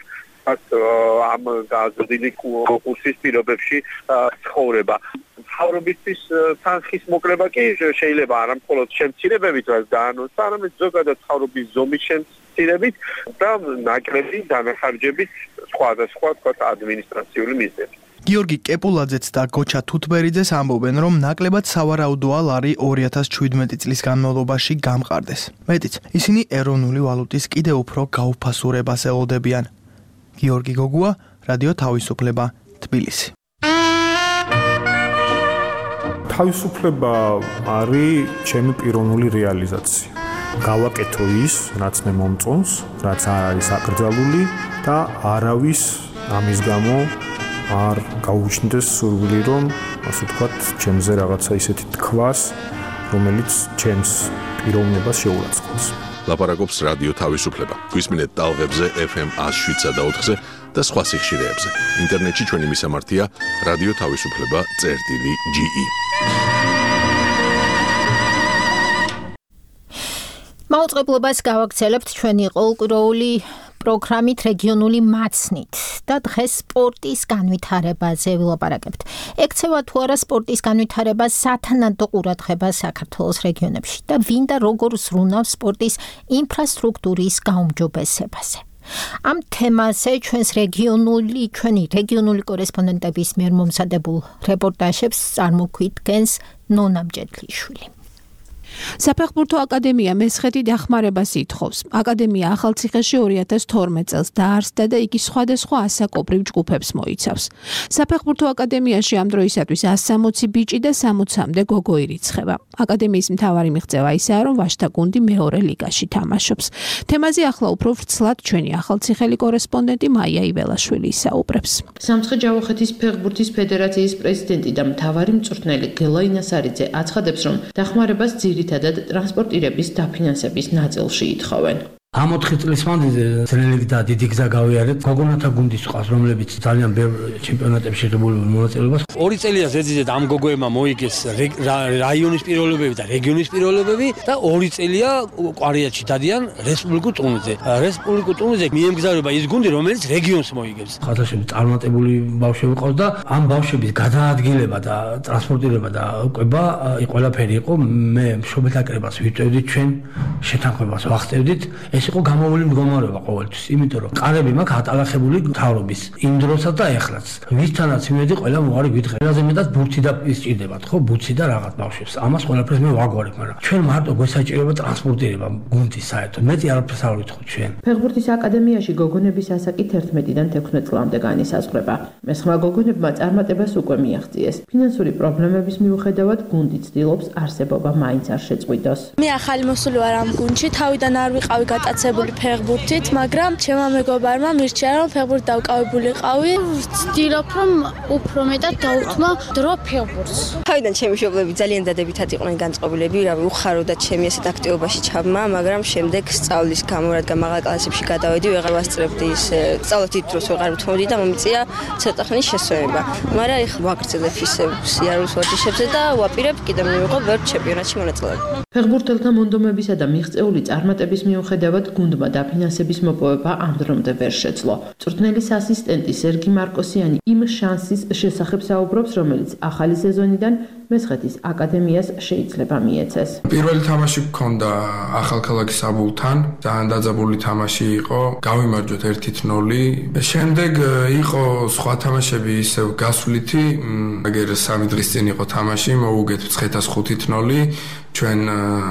ამ გაზრდილი კურსის პირობებში ცხოვრება. მთავრობისთვის თანხის მოკლება კი შეიძლება არა მხოლოდ შემცირებებით, რაც დაანონსა, არამედ ზოგადად მთავრობის ზომის შემცირებით და ნაკლები დანახარჯებით სხვადასხვა თქვათ ადმინისტრაციული მიზნებით. გიორგი კეპულაძეც და გოჩა თუთბერიძეს ამბობენ, რომ ნაკლებად სავარაუდოა ლარი ორი ათას შვიდმეტი წლის განმავლობაში გამყარდეს. მეტიც, ისინი ეროვნული ვალუტის კიდევ უფრო გაუფასურებას ელოდებიან. გიორგი გოგუა, რადიო თავისუფლება, თბილისი. თავისუფლება არის ჩემი პიროვნული რეალიზაცია. გავაკეთო ის, რაც მე მომწონს, რაც არ არის აკრძალული და არავის ამის გამო არ გაუჩნდეს სურვილი, რომ ასე ვთქვათ, ჩემზე რაღაცა ისეთი თქვას, რომელიც ჩემს პიროვნებას შეურაცხყოფს. ლაპარაკობს რადიო თავისუფლება. გვისმინეთ ტალღებზე ეფ ემ one oh seven და ოთხზე და სხვა სიხშირეებზე. ინტერნეტში ჩვენი მისამართია რადიო თავისუფლება წერტილი ჯი ი. მაუწყებლობას გავაგრძელებთ ჩვენი ყოლკვირეული პროგრამით რეგიონული მაცნით და დღეს სპორტის განვითარებაზე ვილაპარაკებთ. ექცევა თუ არა სპორტის განვითარება სათანადო ყურადღება საქართველოს რეგიონებში და ვინ და როგორ ზრუნავს სპორტის ინფრასტრუქტურის გაუმჯობესებაზე. ამ თემაზე ჩვენს რეგიონული ჩვენი რეგიონული კორესპონდენტების მიერ მომზადებულ რეპორტაჟებს წარმოგვიდგენს ნონა მჭედლიშვილი. საფეხბურთო აკადემია მესხეთი დახმარებას ითხოვს. აკადემია ახალციხეში ორი ათას თორმეტ წელს დაარსდა და იგი სხვადასხვა ასაკობრივ ჯგუფებს მოიცავს. საფეხბურთო აკადემიაში ამ დროისათვის one sixty ბიჭი და sixty-მდე გოგო ირიცხება. აკადემიის მთავარი მიღწევა ისაა, რომ ვაჟთა გუნდი მეორე ლიგაში თამაშობს. თემაზე ახლა უფრო ვრცლად ჩვენი ახალციხელი კორესპონდენტი მაია იველაშვილი ისაუბრებს. სამცხე-ჯავახეთის ფეხბურთის ფედერაციის პრეზიდენტი და მთავარი მწვრთნელი გელა ინასარიძე აცხადებს, რომ დახმარებას ძირითადად ტრანსპორტირების დაფინანსების ნაწილში ითხოვენ. ამ ოთხი წლის მანძილზე ძნელი და დიდი გზა გავიარეთ. გოგონათა გუნდის ყავს, რომლებიც ძალიან ბევრ ჩემპიონატებში ღებული მონაწილეობას. ორი წელია ზედიზედ ამ გოგოებმა მოიგეს რაიონის პირველობები და რეგიონის პირველობები და ორი წელია კვარიატში დადიან რესპუბლიკურ ტურნირზე. რესპუბლიკურ ტურნირზე მიემგზავრება ის გუნდი, რომელიც რეგიონს მოიგებს. ხათაშები წარმატებული ბავშვები ყავს და ამ ბავშვების გადაადგილება და ტრანსპორტირება და ყვება ყველაფერი იყო. მე მშობელთა კრებას ვიწევდით, ჩვენ შეთანხმებას ვახდევდით. ეს იყო გამოვლილი მდგომარეობა ყოველთვის, იმიტომ რომ ყარები მაქვს ატალახებული მთავრობის იმ დროსაც და ეხლაც. ვისთანაც იმედი ყველა მოარი გვითხრა. ყველაზე მეტად ბურთი და ისჭირდებათ, ხო, ბურთი და რაღაც ბავშვებს. ამას ყველაფერს მე ვაგვარებ, მაგრამ ჩვენ მარტო გვესაჭიროება ტრანსპორტირება გუნდის საერთოდ. მეტი არაფერს არ ვითხოვთ ჩვენ. ფეხბურთის აკადემიაში გოგონების ასაკი თერთმეტიდან თექვსმეტ წლამდე განისაზღვრება. მესხმა გოგონებმა წარმატებას უკვე მიაღწიეს. ფინანსური პრობლემების მიუხედავად გუნდი ცდილობს არსებობა მაინც არ შეწყვიტოს. მე ახალი მოსული ვარ ამ გუნდში, თავიდან არ ვიყავი გატაცებული ფეხბურთით, მაგრამ ჩემმა მეგობარმა მირჩია, რომ ფეხბურთი დავკავებულიყავი. ვცდილობ, რომ უფრო მეტად დავუთმო დრო ფეხბურთს. თავიდან ჩემი მშობლები ძალიან დადებითად იყვნენ განწყობილები, რავი, უხაროდა ჩემი ასეთ აქტივობაში ჩაბმა, მაგრამ შემდეგ სწავლის გამო, რადგან მაღალ კლასებში გადავედი, ვეღარ ვასწრებდი ის სწავლით დიდ დროს ვეღარ ვთმობდი და მომიწია ცოტა ხნის შესვენება. მაგრამ ეხლა ვაგრძელებ ისე სიარულს ვარჯიშებზე და ვაპირებ კიდევ მივიღო ბევრ ჩემპიონატში მონაწილეობა. ფეხბურთელთა მონდომებისა და მიღწეული წარმატების მიუხედავად გუნდმა დაფინანსების მოპოვება ამ დრომდე ვერ შეძლო. მწვრთნელის ასისტენტი სერგი მარკოსიანი იმ შანსის შესახებ საუბრობს, რომელიც ახალი სეზონიდან მესხეთის აკადემიას შეიძლება მიეცეს. პირველი თამაში გქონდა ახალქალაქის აბულთან, ძალიან დაძაბული თამაში იყო, გავიმარჯვეთ one nil. შემდეგ იყო სხვა თამაშები ისევ გასვლითი, აგერ სამი დღის წინ იყო თამაში, მოუგეთ მცხეთას five nil. ჩვენ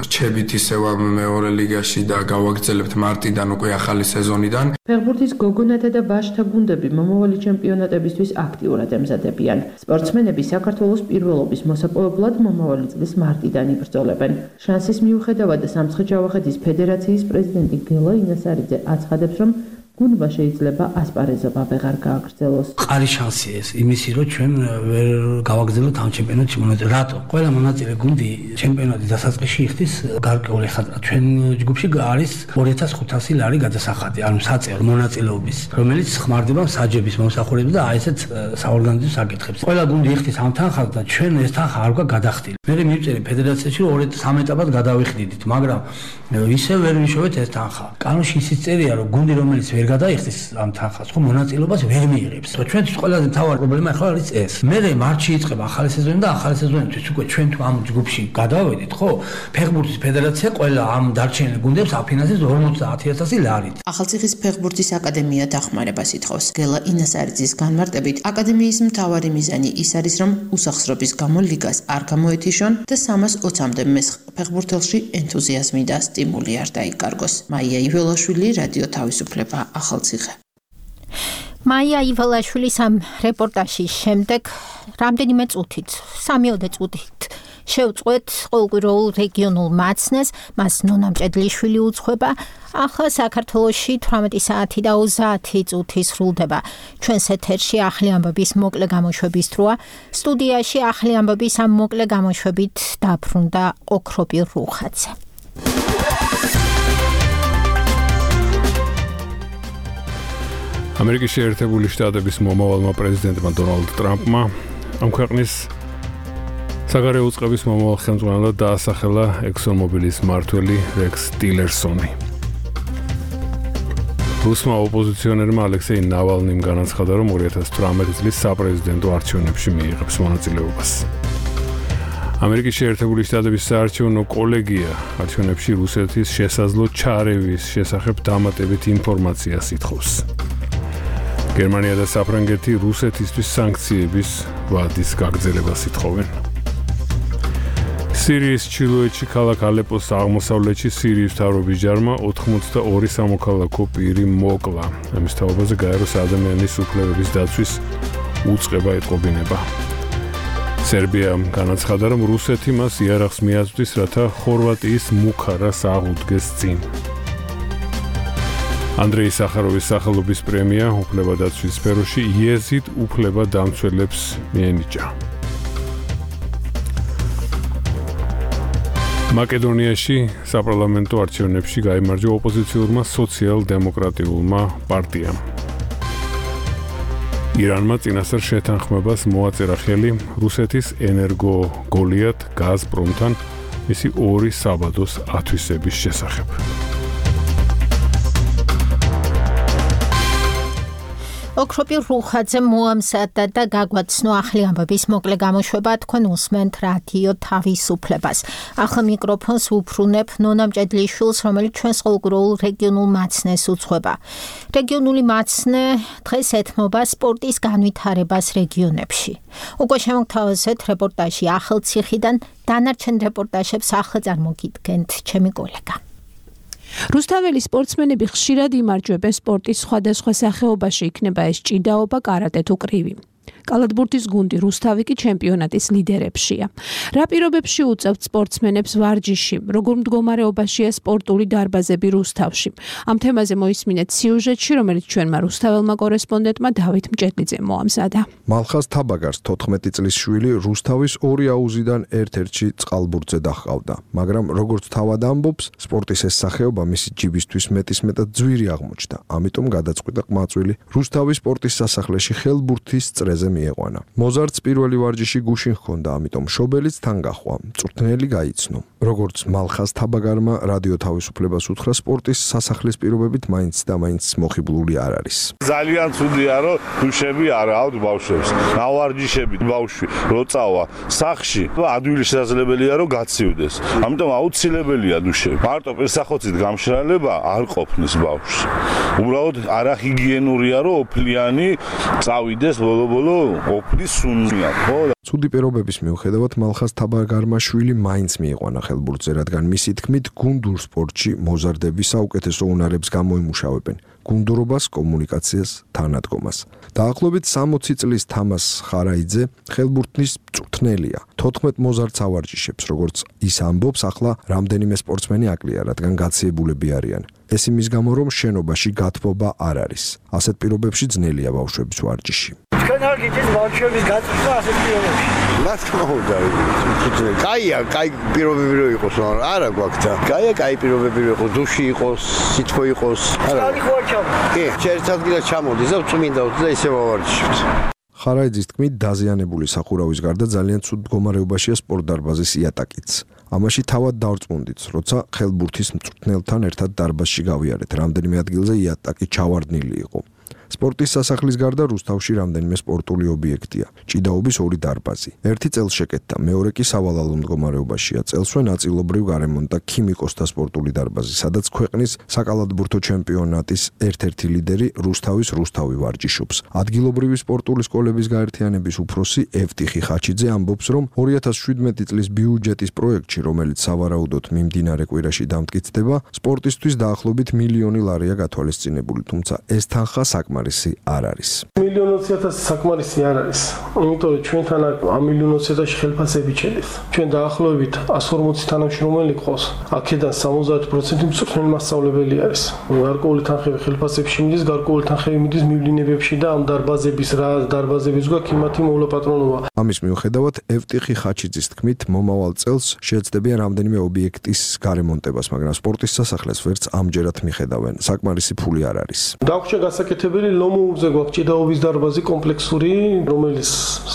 რჩებით ისევ ამ მეორე ლიგაში და გავაგრძელებთ მარტიდან უკვე ახალი სეზონიდან. ფეხბურთის გოგონათა და ვაჟთა გუნდები მომავალი ჩემპიონატებისთვის აქტიურად ემზადებიან. სპორტსმენები საქართველოს პირველობის მოსაპოვებლად მომავალი წლის მარტიდან იბრძოლებენ. შანსის მიუხედავად სამცხე-ჯავახეთის ფედერაციის პრეზიდენტი გელა ინასარიძე აცხადებს, რომ გუნდმა შეიძლება ასპარეზობა ვეღარ გააგრძელოს. ყარი შანსია ეს იმისი, რომ ჩვენ ვერ გავაგრძელოთ ამ ჩემპიონატში მონაწილე. რატო? ყველა მონაწილე გუნდი ჩემპიონატის დასაწყისში იხდის გარკვეული ხანდა. ჩვენ ჯგუფში არის ორი ათას ხუთასი ლარი გადასახადი, ანუ საწერო მონაწილეობის, რომელიც ხმარდება საჯების მომსახურებას და აი ესეთ საორგანიზაციო საკითხებს. ყველა გუნდი იხდის ამ თანხას და ჩვენ ეს თანხა არ გვაქვს გადახდილი. მე მივწერე ფედერაციაში რომ სამ ეტაპად გადავიხდიდით, მაგრამ ისე ვერ ვიშოვეთ ეს თანხა. კანონში ისიც წერია, რომ გუნდი რომელიც ვერ გადაიხდის ამ თანხას, ხო მონაწილეობას ვერ მიიღებს. ჩვენთვის ყველაზე მთავარი პრობლემა ახლა არის ეს. მე მარტში იწყება ახალი სეზონი და ახალი სეზონისთვის უკვე ჩვენ თუ ამ ჯგუფში გადავედით, ხო? ფეხბურთის ფედერაცია ყველა ამ დარჩენილ გუნდებს აფინანსებს ორმოცდაათი ათასი ლარით. ახალციხის ფეხბურთის აკადემია დახმარებას ითხოვს. გელა ინასარიძის განმარტებით, აკადემიის მთავარი მიზანი ის არის, რომ უსახსრობის გამო ლიგას არ გამოეთიშონ და სამას ოცამდე მესხ ფეხბურთელში ენთუზიაზმი და სტიმული არ დაიკარგოს. მაია იველაშვილი, რადიო თავისუფლება, ახალციხე. მაია ივალაშვილის ამ რეპორტაჟის შემდეგ რამდენიმე წუთით, სამიოდე წუთით შევწყვეთ ყოველკვირეულ რეგიონულ მაცნეს, მას ნონა მჭედლიშვილი უძღვება. ახლა საქართველოში თვრამეტი საათი და ოცდაათი წუთი სრულდება. ჩვენს ეთერში ახალი ამბების მოკლე გამოშვების დროა. სტუდიაში ახალი ამბების ამ მოკლე გამოშვებით დაბრუნდა ოქროპირ რუხაძე. ამერიკის შეერთებული შტატების მომავალმა პრეზიდენტმა დონალდ ტრამპმა ამ ქვეყნის საგარეო უწყების მომავალ ხელმძღვანელად დაასახელა ექსონმობილის მმართველი რექს ტილერსონი. რუსმა ოპოზიციონერმა ალექსეი ნავალნიმ განაცხადა, რომ ორი ათას თვრამეტი წლის საპრეზიდენტო არჩევნებში მიიღებს მონაწილეობას. ამერიკის შეერთებული შტატების საარჩევნო კოლეგია არჩევნებში რუსეთის შესაძლო ჩარევის შესახებ დამატებით ინფორმაციას ითხოვს. გერმანია და საფრანგეთი რუსეთისთვის სანქციების ვადის გაგრძელებას ითხოვენ. სირიის ჩრდილოეთში ქალაქ ალეპოს აღმოსავლეთში სირიის მთავრობის ჯარმა ოთხმოცდაორი სამოქალაქო პირი მოკლა. ამის თაობაზე გაეროს ადამიანის უფლებების დაცვის უწყება ეტყობინება. სერბიამ განაცხადა, რომ რუსეთი მას იარაღს მიაწვდის, რათა ხორვატიის მუხარას აღუდგეს წინ. ანდრეი სახაროვის სახელობის პრემია უფლებადაცვის სფეროში იეზიდ უფლებადამცველებს მიენიჭა. მაკედონიაში საპარლამენტო არჩევნებში გაიმარჯვა ოპოზიციურმა სოციალ-დემოკრატიულმა პარტიამ. ირანმა წინასწარ შეთანხმებას მოაწერა ხელი რუსეთის ენერგო გოლიათ გაზპრომთან მისი ორი საბადოს ათვისების შესახებ. ოქროპირ რუხაძე მოამზადა და გაგვაცნო ახალი ამბების მოკლე გამოშვება. თქვენ უსმენთ რადიო თავისუფლებას. ახლა მიკროფონს უბრუნებ ნონა მჭედლიშვილს, რომელიც ჩვენს ყოველკვირეულ რეგიონულ მაცნეს უძღვება. რეგიონული მაცნე დღეს ეთმობა სპორტის განვითარებას რეგიონებში. უკვე შემოგთავაზეთ რეპორტაჟი ახალციხიდან, დანარჩენ რეპორტაჟებს ახლა წარმოგიდგენთ ჩემი კოლეგა. რუსთაველი სპორტსმენები ხშირად იმარჯვებენ სპორტის სხვადასხვა სახეობაში, იქნება ეს ჭიდაობა, კარატე თუ კრივი. კალათბურთის გუნდი რუსთავი კი ჩემპიონატის ლიდერებშია. რა პირობებში უწევთ სპორტსმენებს ვარჯიში? როგორ მდგომარეობაშია სპორტული დარბაზები რუსთავში? ამ თემაზე მოისმინეთ სიუჟეტში, რომელიც ჩვენმა რუსთაველმა კორესპონდენტმა დავით მჭედლიძემ მოამზადა. მალხაზ თაბაგარს თოთხმეტი წლის შვილი რუსთავის ორი აუზიდან ერთ-ერთში წყალბურთზე დაჰყავდა, მაგრამ როგორც თავად ამბობს, სპორტის ეს სახეობა მისი ჯიბისთვის მეტისმეტად ძვირი აღმოჩნდა. ამიტომ გადაწყვიტა ყმაწვილი რუსთავის სპორტის სასახლეში ხელბურთის წრეზე მიეყვანა. მოზარდს პირველი ვარჯიში გუშინ ჰქონდა, ამიტომ შობელიც თან გაჰყვა, მწვრთნელი გაიცნო. როგორც მალხაზ თაბაგარმა რადიო თავისუფლებას უთხრა, სპორტის სასახლის პირობებით მაინც და მაინც მოხიბლული არ არის. ძალიან ცუდია, რომ დუშები არ აქვთ ბავშვებს. ნავარჯიშები ბავშვი როწავა სახში, ადვილი შესაძლებელია რომ გაცივდეს. ამიტომ აუცილებელია დუშები. მარტო პერსახოცით გამშრალება არ ყოფნის ბავშვს. უბრალოდ არახიგიენურია, რომ ოფლიანი წავიდეს ბოლო-ბოლო ოფლის სუნია, ხო? ცუდი პირობების მიუხედავად მალხაზ თაბაგარმა შვილი მაინც მიიყვანა ხელბურთზე, რადგან მისი თქმით გუნდურ სპორტში მოზარდები საუკეთესო უნარებს გამოიმუშავებენ. გუნდურობას, კომუნიკაციას, თანადგომას. დაახლოებით სამოცი წლის თამას ხარაიძე ხელბურთის მწვრთნელია. თოთხმეტ მოზარდს ავარჯიშებს, როგორც ის ამბობს, ახლა რამდენიმე სპორტსმენი აკლია, რადგან გაციებულები არიან. ეს იმის გამო, რომ შენობაში გათბობა არ არის. ასეთ პირობებში ძნელია ბავშვების ვარჯიში. თქვენ არ გიჭირთ ბავშვების გაწვრთნა ასეთ პირობებში? რა თქმა უნდა, კაია, კაი პირობები რო იყოს, არა გვაქვს და კაია, კაი პირობები რო იყოს, დუში იყოს, სითბო იყოს. არა. კი, ერთ ადგილას ჩამოდის და წმინდა და ისევ ავარჯიშებთ. ხარაიძის თქმით, დაზიანებული სახურავის გარდა ძალიან ცუდ მდგომარეობაშია სპორტდარბაზის იატაკიც. ამაში თავად დავწმუნდით, როცა ხელბურთის მწვრთნელთან ერთად დარბაზში გავიარეთ, რამდენიმე ადგილზე იატაკი ჩავარდნილი იყო. სპორტის სასახლის გარდა რუსთავში რამდენიმე სპორტული ობიექტია. ჭიდაობის ორი დარბაზი. ერთი წელს შეკეთდა, მეორე კი სავალალო მდგომარეობაშია. წელსვე ნაწილობრივ გარემონტა ქიმიკოსთა სპორტული დარბაზი, სადაც ქვეყნის საკალათბურთო ჩემპიონატის ერთ-ერთი ლიდერი რუსთავის რუსთავი ვარჯიშობს. ადგილობრივი სპორტული სკოლების გაერთიანების უფროსი ევტიხი ხაჩიძე ამბობს, რომ ორი ათას შვიდმეტი წლის ბიუჯეტის პროექტში, რომელიც სავარაუდოდ მიმდინარე კვირაში დამტკიცდება, სპორტისთვის დაახლოებით მილიონი ლარია გათვალისწინებული, თუმცა ეს თანხა საკმაოდ საკმარისი არ არის. მილიონი ოცი ათასი საკმარისი არ არის. იმიტომ რომ ჩვენთან ამ მილიონი ოცი ათასი ხელფასები ჩედეს. ჩვენ დაახლოებით εκατს ორმოცი თანამშრომელი ყავს. აქედან სამოცდაათი პროცენტი მწვრთნელი მასწავლებელი არის. გარკვეული თანხები ხელფასებში მიდის, გარკვეული თანხები მიდის მივლინებებში და ამ დარბაზების რა დარბაზების გვაქვს იმათი მოვლაპატრონობა. ამის მიუხედავად ევტიხი ხაჩიძის თქმით, მომავალ წელს შეეცდებიან რამდენიმე ობიექტის გარემონტებას, მაგრამ სპორტის სასახლეს ვერც ამჯერად მიხედავენ. საკმარისი ფული არ არის. დაგვრჩა გასაკეთებელი ლომოურზე გვაქვს ჭიდაობის დარბაზი კომპლექსური, რომელიც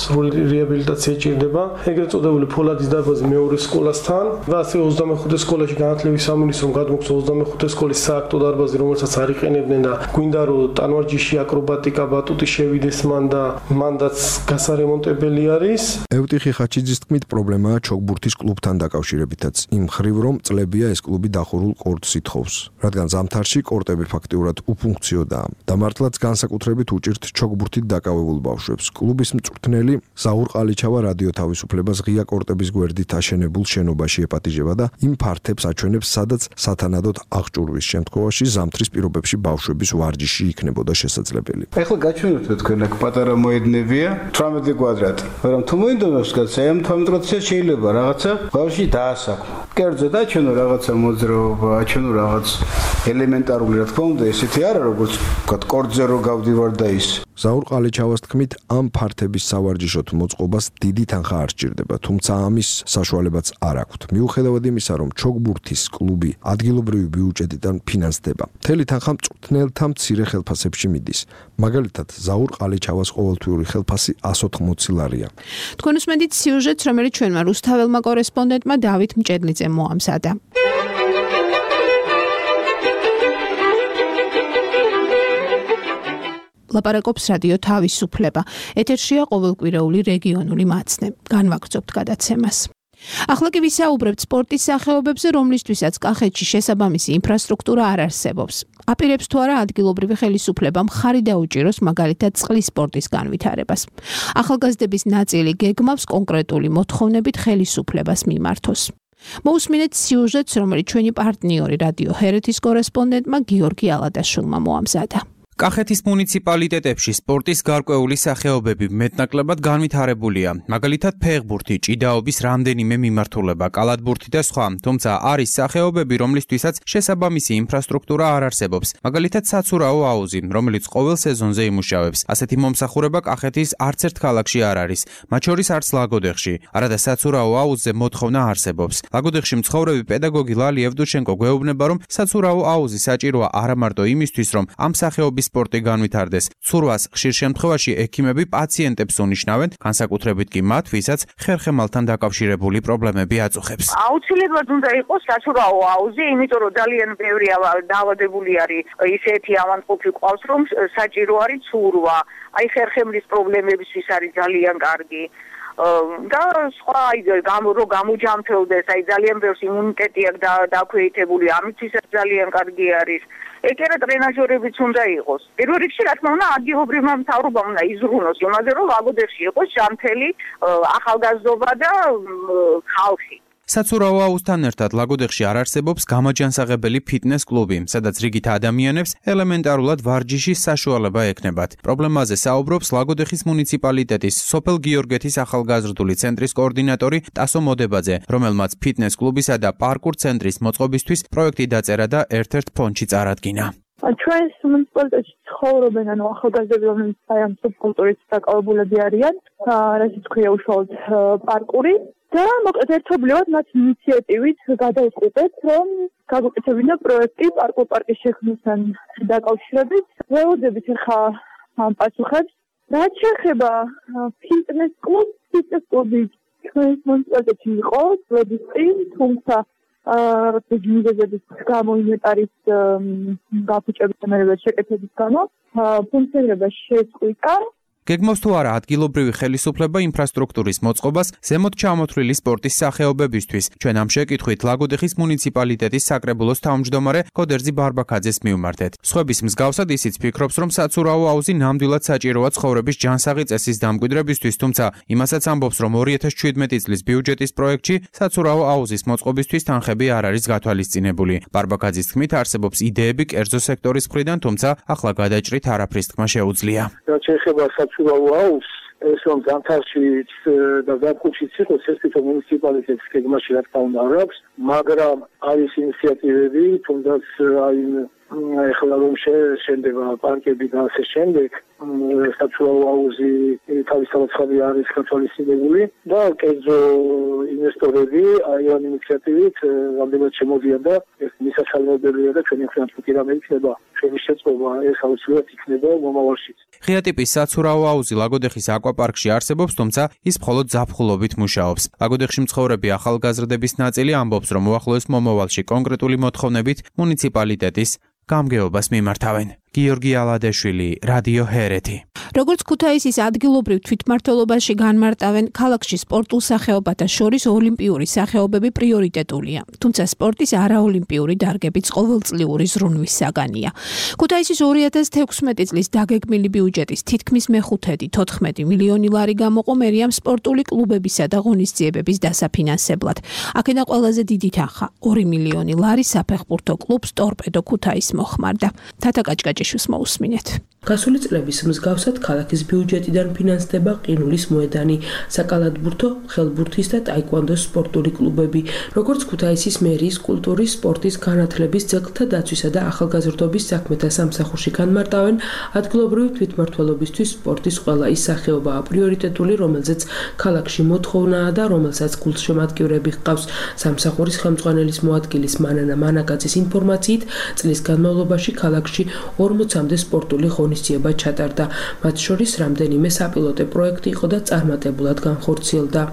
სრული რეაბილიტაცია ჭირდება. ეგრეთ წოდებული ფოლადის დარბაზი მეორე სკოლასთან და ასე ოცდამეხუთე სკოლაში განათლების სამინისტრომ გადმოგცა ოცდამეხუთე სკოლის სააქტო დარბაზი, რომელსაც არ იყენებდნენ და გვინდა რომ ტანვარჯიში, აკრობატიკა, ბატუტი შევიდეს მან და მანდაც გასარემონტებელი არის. ევტიხი ხაჩიძის თქმით, პრობლემაა ჩოგბურთის კლუბთან დაკავშირებითაც. იმ ხრივ რომ წლებია ეს კლუბი დახურულ კორტს ითხოვს, რადგან ზამთარში კორტები ფაქტიურად უფუნქციოდაა. და მართლაც განსაკუთრებით უჭირთ ჩოგბურთით დაკავებულ ბავშვებს. კლუბის მწვრთნელი ზაურ ყალიჩავა რადიო თავისუფლებას ღია კორტების გვერდით აშენებულ შენობაში ეპატიჟება და იმ ფართებს აჩვენებს, სადაც სათანადოდ აღჭურვის შემთხვევაში ზამთრის პირობებში ბავშვების ვარჯიში იქნებოდა შესაძლებელი. ეხლა გაჩვენოთ თქვენ აქ პატარა მოედნებია, თვრამეტი კვადრატი. მაგრამ თუ მოინდომებს კაცი, ამ თვრამეტი შეიძლება რაღაცა ბავშვი დაასაქმო. კერძო დაჩვენო რაღაცა მოძრაობა, აჩვენო რაღაც ელემენტარული, რა თქმა უნდა, ესეთი არა როგორც ვთქვათ, კორტზე რო გავდივარ და ის. ზაურ ყალიჩავას თქმით, ამ ფართების სავარჯიშოთ მოწყობას დიდი თანხა არ სჭირდება, თუმცა ამის საშუალებაც არ აქვთ. მიუხედავად იმისა, რომ ჩოგბურთის კლუბი ადგილობრივი ბიუჯეტიდან ფინანსდება, მთელი თანხა მწვრთნელთა მცირე ხელფასებში მიდის. მაგალითად, ზაურ ყალიჩავას ყოველთვიური ხელფასი εκατს ოთხმოცი ლარია. თქვენ უსმენთ სიუჟეტს, რომელიც ჩვენმა რუსთაველმა კორესპონდენტმა დავით მჭედლიძემ მოამზადა. ლაპარაკობს რადიო თავისუფლება. ეთერშია ყოველკვირეული რეგიონული მაცნე. განვაგრძობთ გადაცემას. ახლა კი ვისაუბრებთ სპორტის სახეობებზე, რომლისთვისაც კახეთში შესაბამისი ინფრასტრუქტურა არ არსებობს. აპირებს თუ არა ადგილობრივი ხელისუფლება მხარი დაუჭიროს მაგალითად წყლის სპორტის განვითარებას. ახალგაზრდების ნაწილი გეგმავს კონკრეტული მოთხოვნებით ხელისუფლებას მიმართოს. მოусმინეთ სიუჟეტს, რომელიც ჩვენი პარტნიორი რადიო ჰერეთის კორესპონდენტმა გიორგი ალადაშვილმა მოამზადა. კახეთის მუნიციპალიტეტებში სპორტის გარკვეული სახეობები მეტნაკლებად განვითარებულია. მაგალითად, ფეხბურთი, ჭიდაობის რამდენიმე მიმართულება, კალათბურთი და სხვა. თუმცა არის სახეობები, რომლისთვისაც შესაბამისი ინფრასტრუქტურა არ არსებობს. მაგალითად, საცურაო აუზი, რომელიც ყოველ სეზონზე იმუშავებს. ასეთი მომსახურება კახეთის არც ერთ ქალაქში არ არის, მათ შორის არც ლაგოდეხში. არადა საცურაო აუზზე მოთხოვნა არსებობს. ლაგოდეხში მცხოვრები პედაგოგი ლალი ევდუშენკო გვეუბნება, რომ საცურაო აუზი საჭიროა არა მარტო იმისთვის, რომ ამ სახეობის სპორტი განვითარდეს. ცურვას ხშირ შემთხვევაში ექიმები პაციენტებს უნიშნავენ, განსაკუთრებით კი მათ, ვისაც ხერხემალთან დაკავშირებული პრობლემები აწუხებს. აუცილებლად უნდა იყოს საცურაო აუზი, იმიტომ რომ ძალიან ბევრი დაავადებული არის ისეთი ავადმყოფი ყავს, რომ საჭირო არის ცურვა. აი ხერხემლის პრობლემებისთვის არის ძალიან კარგი. და სხვა აი რო გამოჯამთელდეს, აი ძალიან ბევრს იმუნიტეტი აქვს დაქვეითებული, ამითვისაც ძალიან კარგი არის. ეგერა ტრენაჟორებიც უნდა იყოს. პირველ რიგში, რა თქმა უნდა, ადგილობრივმა მთავრობამ უნდა იზრუნოს იმაზე, რომ ლაგოდეხში იყოს ჯანმრთელი ახალგაზრდობა და ხალხი. საცურაო აუზთან ერთად ლაგოდეხში არ არსებობს გამაჯანსაღებელი ფიტნეს კლუბი, სადაც რიგით ადამიანებს ელემენტარულად ვარჯიშის საშუალება ექნებათ. პრობლემაზე საუბრობს ლაგოდეხის მუნიციპალიტეტის სოფელ გიორგეთის ახალგაზრდული ცენტრის კოორდინატორი ტასო მოდებაძე, რომელმაც ფიტნეს კლუბისა და პარკურ ცენტრის მოწყობისთვის პროექტი დაწერა და ერთ-ერთ ფონდში წარადგინა. ჩვენს მუნიციპალიტეტში ცხოვრობენ ანუ ახალგაზრდები, რომლებიც ამ სუბკულტურით დაკავებულები არიან, რასაც ქვია უშუალოდ პარკური. და მოკლედ ერთობლივად მათ ინიციატივით გადაუყურეთ, რომ გაგუკეთებინა პროექტი პარკურ პარკის შექმნასთან დაკავშირებით. ველოდებით ახლა ამ პასუხებს. რაც შეეხება ფიტნეს კლუბს, ფიტნეს კლუბი ჩვენს მუნიციპალიტეტში იყო წლების წინ, თუმცა რაღაც მიზეზების გამო ინვენტარის გაფუჭების და შეკეთების გამო ფუნქციონირება შეწყვიტა. გეგმავს თუ არა ადგილობრივი ხელისუფლება ინფრასტრუქტურის მოწყობას ზემოთ ჩამოთვლილი სპორტის სახეობებისთვის. ჩვენ ამ შეკითხვით ლაგოდეხის მუნიციპალიტეტის საკრებულოს თავმჯდომარე ქოდერძი ბარბაქაძეს მივმართეთ. სხვების მსგავსად ისიც ფიქრობს, რომ საცურაო აუზი ნამდვილად საჭიროა ცხოვრების ჯანსაღი წესის დამკვიდრებისთვის, თუმცა იმასაც ამბობს, რომ ორი ათას შვიდმეტი წლის ბიუჯეტის პროექტში საცურაო აუზის მოწყობისთვის თანხები არ არის გათვალისწინებული. ბარბაქაძის თქმით, არსებობს იდეები კერძო სექტორის მხრიდან, თუმცა ახლა გადაჭრით არაფრის თქმა შეუძლია. საცურაო აუზს ეს რომ ზამთარში და ზაფხულშიც იყოს ეს თვითონ მუნიციპალიტეტის გეგმაში რა თქმა უნდა არ აქვს, მაგრამ არის ინიციატივები, თუნდაც აი ეხლა რომ შენდება პარკები და ასე შემდეგ, საცურაო აუზი თავისთავად ხარი არის გათვალისწინებული და კერძო ინვესტორები აი ამ ინიციატივით რამდენად შემოდიან და ეს მისასალმებელია და ჩვენი ხან თუ რამე იქნება ჩვენი შეწყობა ეს აუცილებლად იქნება მომავალშიც. ღია ტიპის საცურაო აუზი ლაგოდეხის აკვაპარკში არსებობს, თუმცა ის მხოლოდ ზაფხულობით მუშაობს. ლაგოდეხში მცხოვრები ახალგაზრდების ნაწილი ამბობს, რომ უახლოეს მომავალში კონკრეტული მოთხოვნებით მუნიციპალიტეტის გამგეობას მიმართავენ. გიორგი ალადეშვილი, რადიო ჰერეთი. როგორც ქუთაისის ადგილობრივ თვითმმართველობაში განმარტავენ, ქალაქში სპორტულ სახეობათა შორის ოლიმპიური სახეობები პრიორიტეტულია, თუმცა სპორტის არაოლიმპიური დარგებიც ყოველწლიური ზრუნვის საგანია. ქუთაისის ორი ათას თექვსმეტი წლის დაგეგმილი ბიუჯეტის თითქმის მეხუთედი თოთხმეტი მილიონი ლარი გამოყო მერიამ სპორტული კლუბებისა და ღონისძიებების დასაფინანსებლად. აქედან ყველაზე დიდი თანხა ორი მილიონი ლარი საფეხბურთო კლუბს ტორპედო ქუთაის მოხმარდა. თათა კაჭკაჭიშვილს მოусმინეთ. გასული წლების მსგავსად ქალაქის ბიუჯეტიდან ფინანსდება ყინულის მოედანი, საკალათბურთო, ხელბურთის და ტაიკვანდოს სპორტული კლუბები, როგორც ქუთაისის მერიის კულტურის, სპორტის, განათლების, ძეგლთა დაცვისა და ახალგაზრდობის საქმეთა სამსახურში განმარტავენ, ადგილობრივი თვითმმართველობისთვის სპორტის ყველა ის სახეობაა პრიორიტეტული, რომელზეც ქალაქში მოთხოვნაა და რომელსაც გულშემატკივრები ჰყავს. სამსახურის ხელმძღვანელის მოადგილის მანანა მანაკაძის ინფორმაციით, წლის განმავლობაში ქალაქში ორმოცამდე სპორტული ღონისძიება ჩატარდა. მათ შორის რამდენიმე საპილოტე პროექტი იყო და წარმატებულად განხორციელდა.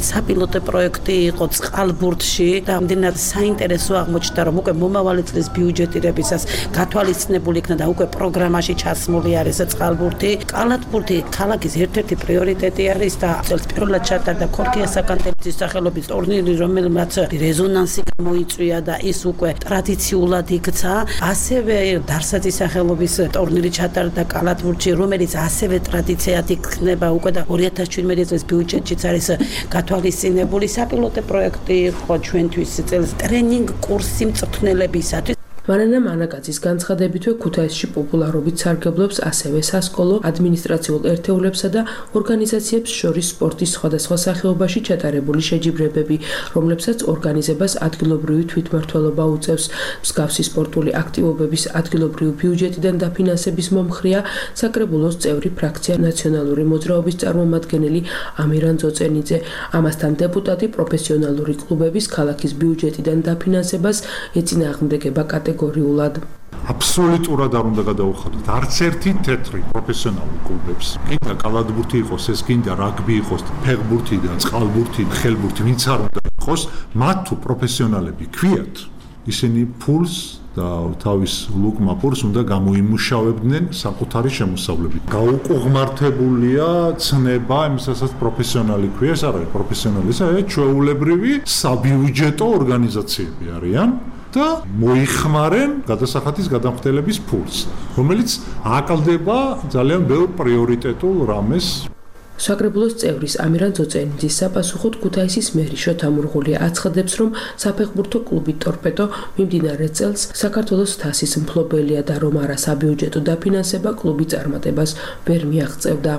საპილოტე პროექტი იყო წყალბურთში და ამდენად საინტერესო აღმოჩნდა, რომ უკვე მომავალი წლის ბიუჯეტირებისას გათვალისწინებული იქნა და უკვე პროგრამაში ჩასმული არის წყალბურთი. კალათბურთი ქალაქის ერთ-ერთი პრიორიტეტი არის და წელს პირველად ჩატარდა ქორქია საკანტელის სახელობის ტურნირი, რომელმაც რეზონანსი გამოიწვია და ის უკვე ტრადიციულად იქცა. ასევე დარსაძის სახელობის ტურნირი ჩატარდა კალათბურთში, რომელიც ასევე ტრადიციად იქნება უკვე და ორი ათას შვიდმეტი წლის ბიუჯეტშიც არის გათვალისწინებული. საპილოტე პროექტი იყო ჩვენთვის წელს ტრენინგ კურსი მწვრთნელებისათვის. მანანა მანაკაძის განცხადებითვე ქუთაისში პოპულარობით სარგებლობს ასევე სასკოლო, ადმინისტრაციულ ერთეულებსა და ორგანიზაციებს შორის სპორტის სხვადასხვა სახეობაში ჩატარებული შეჯიბრებები, რომლებსაც ორგანიზებას ადგილობრივი თვითმმართველობა უწევს. მსგავსი სპორტული აქტივობების ადგილობრივი ბიუჯეტიდან დაფინანსების მომხრეა საკრებულოს წევრი ფრაქცია ნაციონალური მოძრაობის წარმომადგენელი ამირან ძოწენიძე. ამასთან დეპუტატი პროფესიონალური კლუბების ქალაქის ბიუჯეტიდან დაფინანსებას ეწინააღმდეგება კატეგორიულად. აბსოლუტურად არ უნდა გადაუხადოთ არც ერთი თეთრი პროფესიონალური კლუბებს. კიდე კალათბურთი იყოს, ეს კიდე რაგბი იყოს, ფეხბურთი და წყალბურთი, ხელბურთი, ვინც არ უნდა იყოს, მათ თუ პროფესიონალები ქვიათ, ისინი ფულს და თავის ლუკმა ფულს უნდა გამოიმუშავებდნენ საკუთარი შემოსავლებით. გაუკუღმართებულია ცნება იმისასაც პროფესიონალი ქვია, ეს არ არის პროფესიონალი, ეს არის ჩვეულებრივი საბიუჯეტო ორგანიზაციები არიან. და მოიხმარენ გადასახადის გადამხდელების ფულს, რომელიც აკლდება ძალიან ბევრ პრიორიტეტულ რამეს. საკრებულოს წევრის ამირან ძოწენიძის საპასუხოდ ქუთაისის მერი შოთა მურღულია აცხადებს, რომ საფეხბურთო კლუბი ტორპედო მიმდინარე წელს საქართველოს თასის მფლობელია და რომ არა საბიუჯეტო დაფინანსება კლუბი წარმატებას ვერ მიაღწევდა.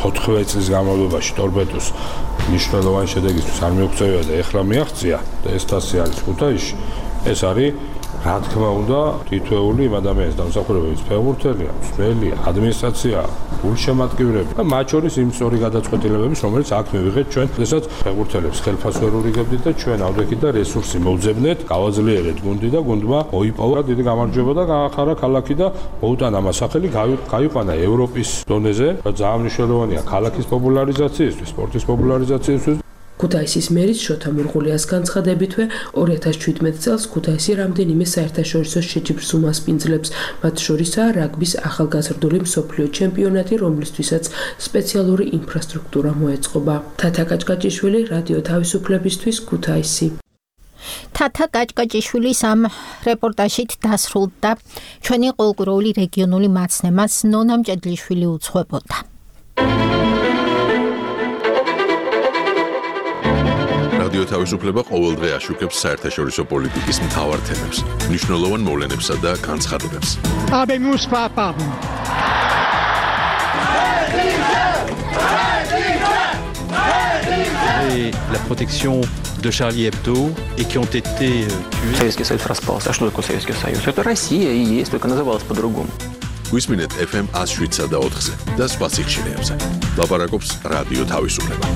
ოთხმეტი წლის განმავლობაში ტორპედოს მნიშვნელოვანი შედეგისთვის არ მიაღწევია და ეხლა მიაღწია და ეს თასი არის ქუთაისში. ეს არის რა თქმა უნდა თითოეული იმ ადამიანის დამსახურებების ფეხბურთელია, მსვლელია, ადმინისტრაცია, გულშემატკივრები და მათ შორის იმ სწორი გადაწყვეტილებების, რომელიც აქ მივიღეთ ჩვენ, შესაძაც ფეხბურთელებს ხელფას ვერ ურიგებდით და ჩვენ ავდექით და რესურსი მოვძებნეთ, გავაძლიერეთ გუნდი და გუნდმა მოიპოვა დიდი გამარჯვება და გაახარა ქალაქი და მოუტანა მას სახელი, გაიყვანა ევროპის დონეზე, რა ძალიან მნიშვნელოვანია ქალაქის პოპულარიზაციისთვის, სპორტის პოპულარიზაციისთვის. ქუთაისის მერის შოთა მურღულიას განცხადებითვე ორი ათას შვიდმეტ წელს ქუთაისი რამდენიმე საერთაშორისო შეჯიბრს უმასპინძლებს, მათ შორისაა რაგბის ახალგაზრდული მსოფლიო ჩემპიონატი, რომლისთვისაც სპეციალური ინფრასტრუქტურა მოეწყობა. თათა კაჭკაჭიშვილი, რადიო თავისუფლებისთვის, ქუთაისი. თათა კაჭკაჭიშვილის ამ რეპორტაჟით დასრულდა ჩვენი ყოველკვირეული რეგიონული მაცნემას ნონა მჭედლიშვილი უძღვებოდა. რადიო თავისუფლება ყოველდღე აშუქებს საერთაშორისო პოლიტიკის მთავარ თემებს, მნიშვნელოვან მოვლენებსა და განცხადებებს. Habemus papam. Et la protection de Charlie Hebdo et qui ont été tués. Советский Союз распался. А что такое Советский Союз? Это Россия и есть, только называлась по-другому. გვისმინეთ эф эм one oh seven და ოთხზე და სხვა სიხშირეებზე. ლაპარაკობს რადიო თავისუფლება.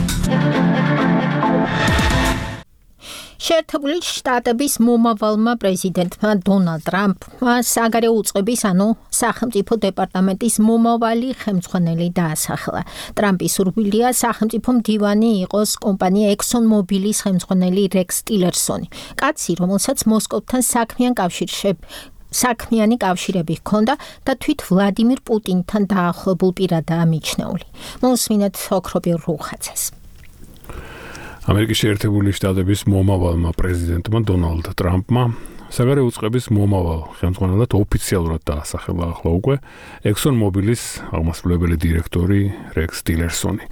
შეერთებული შტატების მომავალმა პრეზიდენტმა დონალდ ტრამპმა საგარეო უწყების, ანუ სახელმწიფო დეპარტამენტის მომავალი ხელმძღვანელი დაასახელა. ტრამპის სურვილია სახელმწიფო მდივანი იყოს კომპანია Exxon Mobilis ხელმძღვანელი რექს ტილერსონი. კაცი, რომელსაც მოსკოვთან საქმიან კავშირში საქმიანი კავშირები ჰქონდა და თვით ვლადიმირ პუტინთან დაახლოებულ პირადაა მიჩნეული. მოусმინეთ ოქრობილ რუხაძეს. ამერიკის შეერთებული შტატების მომავალმა პრეზიდენტმა დონალდ ტრამპმა საგარეო უწყების მომავალ ხელმძღვანელად ოფიციალურად დაასახელა ახლა უკვე Exxon Mobilis აღმასრულებელი დირექტორი რექს ტილერსონი.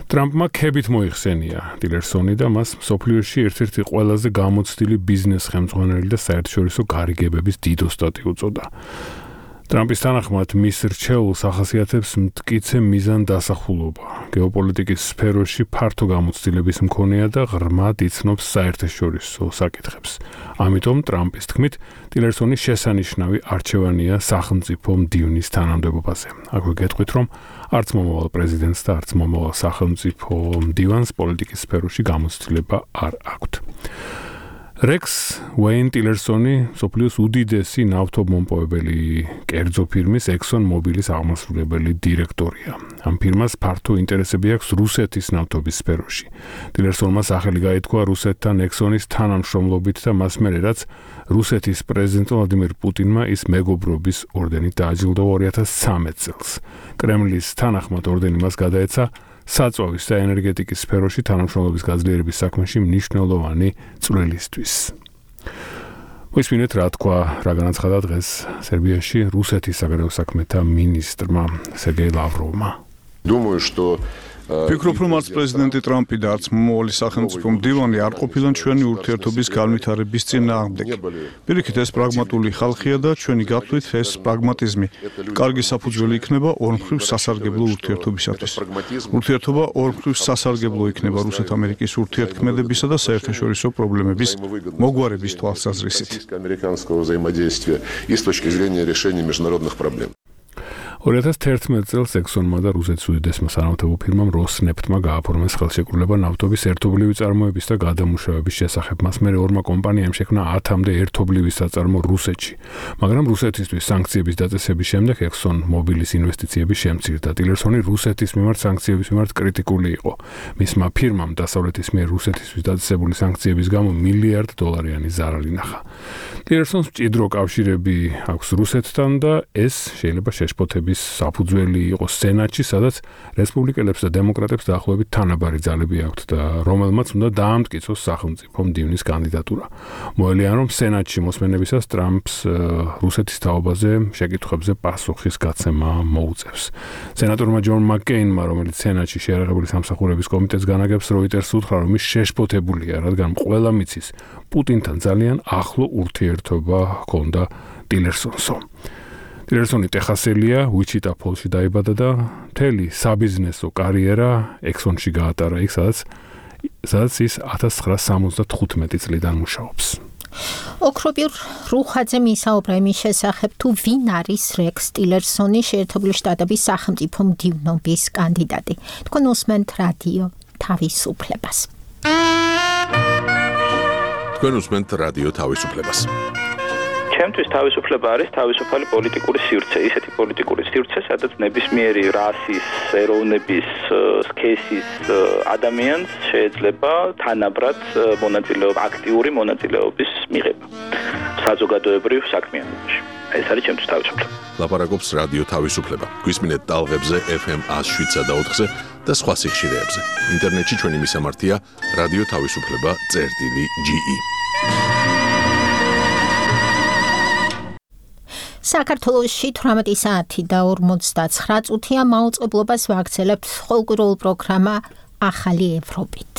ტრამპმა ქებით მოიხსენია ტილერსონი და მას მსოფლიოში ერთ-ერთი ყველაზე გამოცდილი ბიზნეს ხელმძღვანელი და საერთაშორისო გარიგებების დიდოსტატი უწოდა. ტრამპის თანახმად მის რჩეულს ახასიათებს მტკიცე მიზან დასახულობა. გეოპოლიტიკის სფეროში ფართო გამოცდილების მქონეა და ღრმად იცნობს საერთაშორისო საკითხებს. ამიტომ ტრამპის თქმით, ტილერსონი შესანიშნავი არჩევანია სახელმწიფო მდივნის თანამდებობაზე. აქვე გეტყვით, რომ არც მომავალ პრეზიდენტს და არც მომავალ სახელმწიფო მდივანს პოლიტიკის სფეროში გამოცდილება არ აქვთ. რექს უეინ ტილერსონი სოფლიოს უდიდესი ნავთობმომპოვებელი კერძო ფირმის Exxon Mobilis აღმასრულებელი დირექტორია. ამ ფირმას ფართო ინტერესები აქვს რუსეთის ნავთობის სფეროში. ტილერსონმა სახელი გაითქვა რუსეთთან Exxon-ის თანამშრომლობით და მას მერე რაც რუსეთის პრეზიდენტ ვლადიმირ პუტინმა ის მეგობრობის ორდენით დააჯილდოვა ორი ათას ცხრამეტ წელს. კრემლის თანახმად ორდენი მას გადაეცა საწვავის და ენერგეტიკის სფეროში თანამშრომლობის გაძლიერების საქმეში მნიშვნელოვანი წვლილისთვის. მოისმინეთ რა თქვა, რა განაცხადა დღეს სერბიაში რუსეთის საგარეო საქმეთა მინისტრმა სერგეი ლავროვმა. Думаю, что ფიქრობ, რომ არც პრეზიდენტი ტრამპი და არც მომავალი სახელმწიფო მდივანი არ ყოფილან ჩვენი ურთიერთობის განვითარების წინააღმდეგი. პირიქით, ეს პრაგმატული ხალხია და ჩვენი გათვლით ეს პრაგმატიზმი კარგი საფუძველი იქნება ორმხრივ სასარგებლო ურთიერთობისათვის. ურთიერთობა ორმხრივ სასარგებლო იქნება რუსეთ-ამერიკის ურთიერთქმედებისა და საერთაშორისო პრობლემების მოგვარების თვალსაზრისით. ორი ათას თერთმეტ წელს Exxon-მა და რუსეთის უდიდესმა სანავთობო ფირმამ Rosneft-მა გააფორმეს ხელშეკრულება ნავთობის ერთობლივი წარმოების და გადამუშავების შესახებ. მას მერე ორმა კომპანიამ შექმნა ათამდე ერთობლივი საწარმო რუსეთში. მაგრამ რუსეთისთვის სანქციების დაწესების შემდეგ Exxon Mobilis ინვესტიციები შემცირდა. ტილერსონი რუსეთის მიმართ სანქციების მიმართ კრიტიკული იყო. მისმა ფირმამ დასავლეთის მიერ რუსეთისთვის დაწესებული სანქციების გამო მილიარდ დოლარიანი ზარალი ნახა. ტილერსონს მჭიდრო კავშირები აქვს რუსეთთან და ეს შეიძლება შეშფოთების საფუძველი იყოს სენატში, სადაც რესპუბლიკელებს და დემოკრატებს დაახლოებით თანაბარი ძალები აქვთ და რომელმაც უნდა დაამტკიცოს სახელმწიფო მდივნის კანდიდატურა. მოელიან, რომ სენატში მოსმენებისას ტრამპს რუსეთის თაობაზე შეკითხვებზე პასუხის გაცემა მოუწევს. სენატორმა ჯონ მაკკეინმა, რომელიც სენატში შეიარაღებული სამსახურების კომიტეტს განაგებს, როიტერს უთხრა, რომ ის შეშფოთებულია, რადგან ყველა მიცის პუტინთან ძალიან ახლო ურთიერთობა ჰქონდა ტილერსონსო. ტილერსონი ტეხასელია, უიჩიტა ფოლში დაიბადა და მთელი საბიზნესო კარიერა Exxon-ში გაატარა, იქ სადაც სადაც ის ათას ცხრაასი სამოცდათხუთმეტი წლიდან მუშაობს. ოქრობილ რუხაძე მისაუბრა იმის შესახებ, თუ ვინ არის რექს ტილერსონი, შეერთებული შტატების სახელმწიფო მდივნობის კანდიდატი. თქვენ უსმენთ რადიო თავისუფლებას. თქვენ უსმენთ რადიო თავისუფლებას. ჩემთვის თავისუფლება არის თავისუფალი პოლიტიკური სივრცე, ისეთი პოლიტიკური სივრცე, სადაც ნებისმიერი რასის, ეროვნების, სქესის ადამიანს შეიძლება თანაბრად მონაწილეობა, აქტიური მონაწილეობის მიღება საზოგადოებრივ საქმიანობაში. ეს არის ჩემთვის თავისუფლება. ლაპარაკობს რადიო თავისუფლება. გვისმინეთ ტალღებზე ეფ ემ one oh seven და ოთხზე და სხვა სიხშირეებზე. ინტერნეტში ჩვენი მისამართია რადიო თავისუფლება წერტილი ჯი ი. საქართველოში თვრამეტი საათი და ორმოცდაცხრა წუთია მაუწყებლობას ვაგრძელებთ ყოველკვირეულ პროგრამა ახალი ევროპით.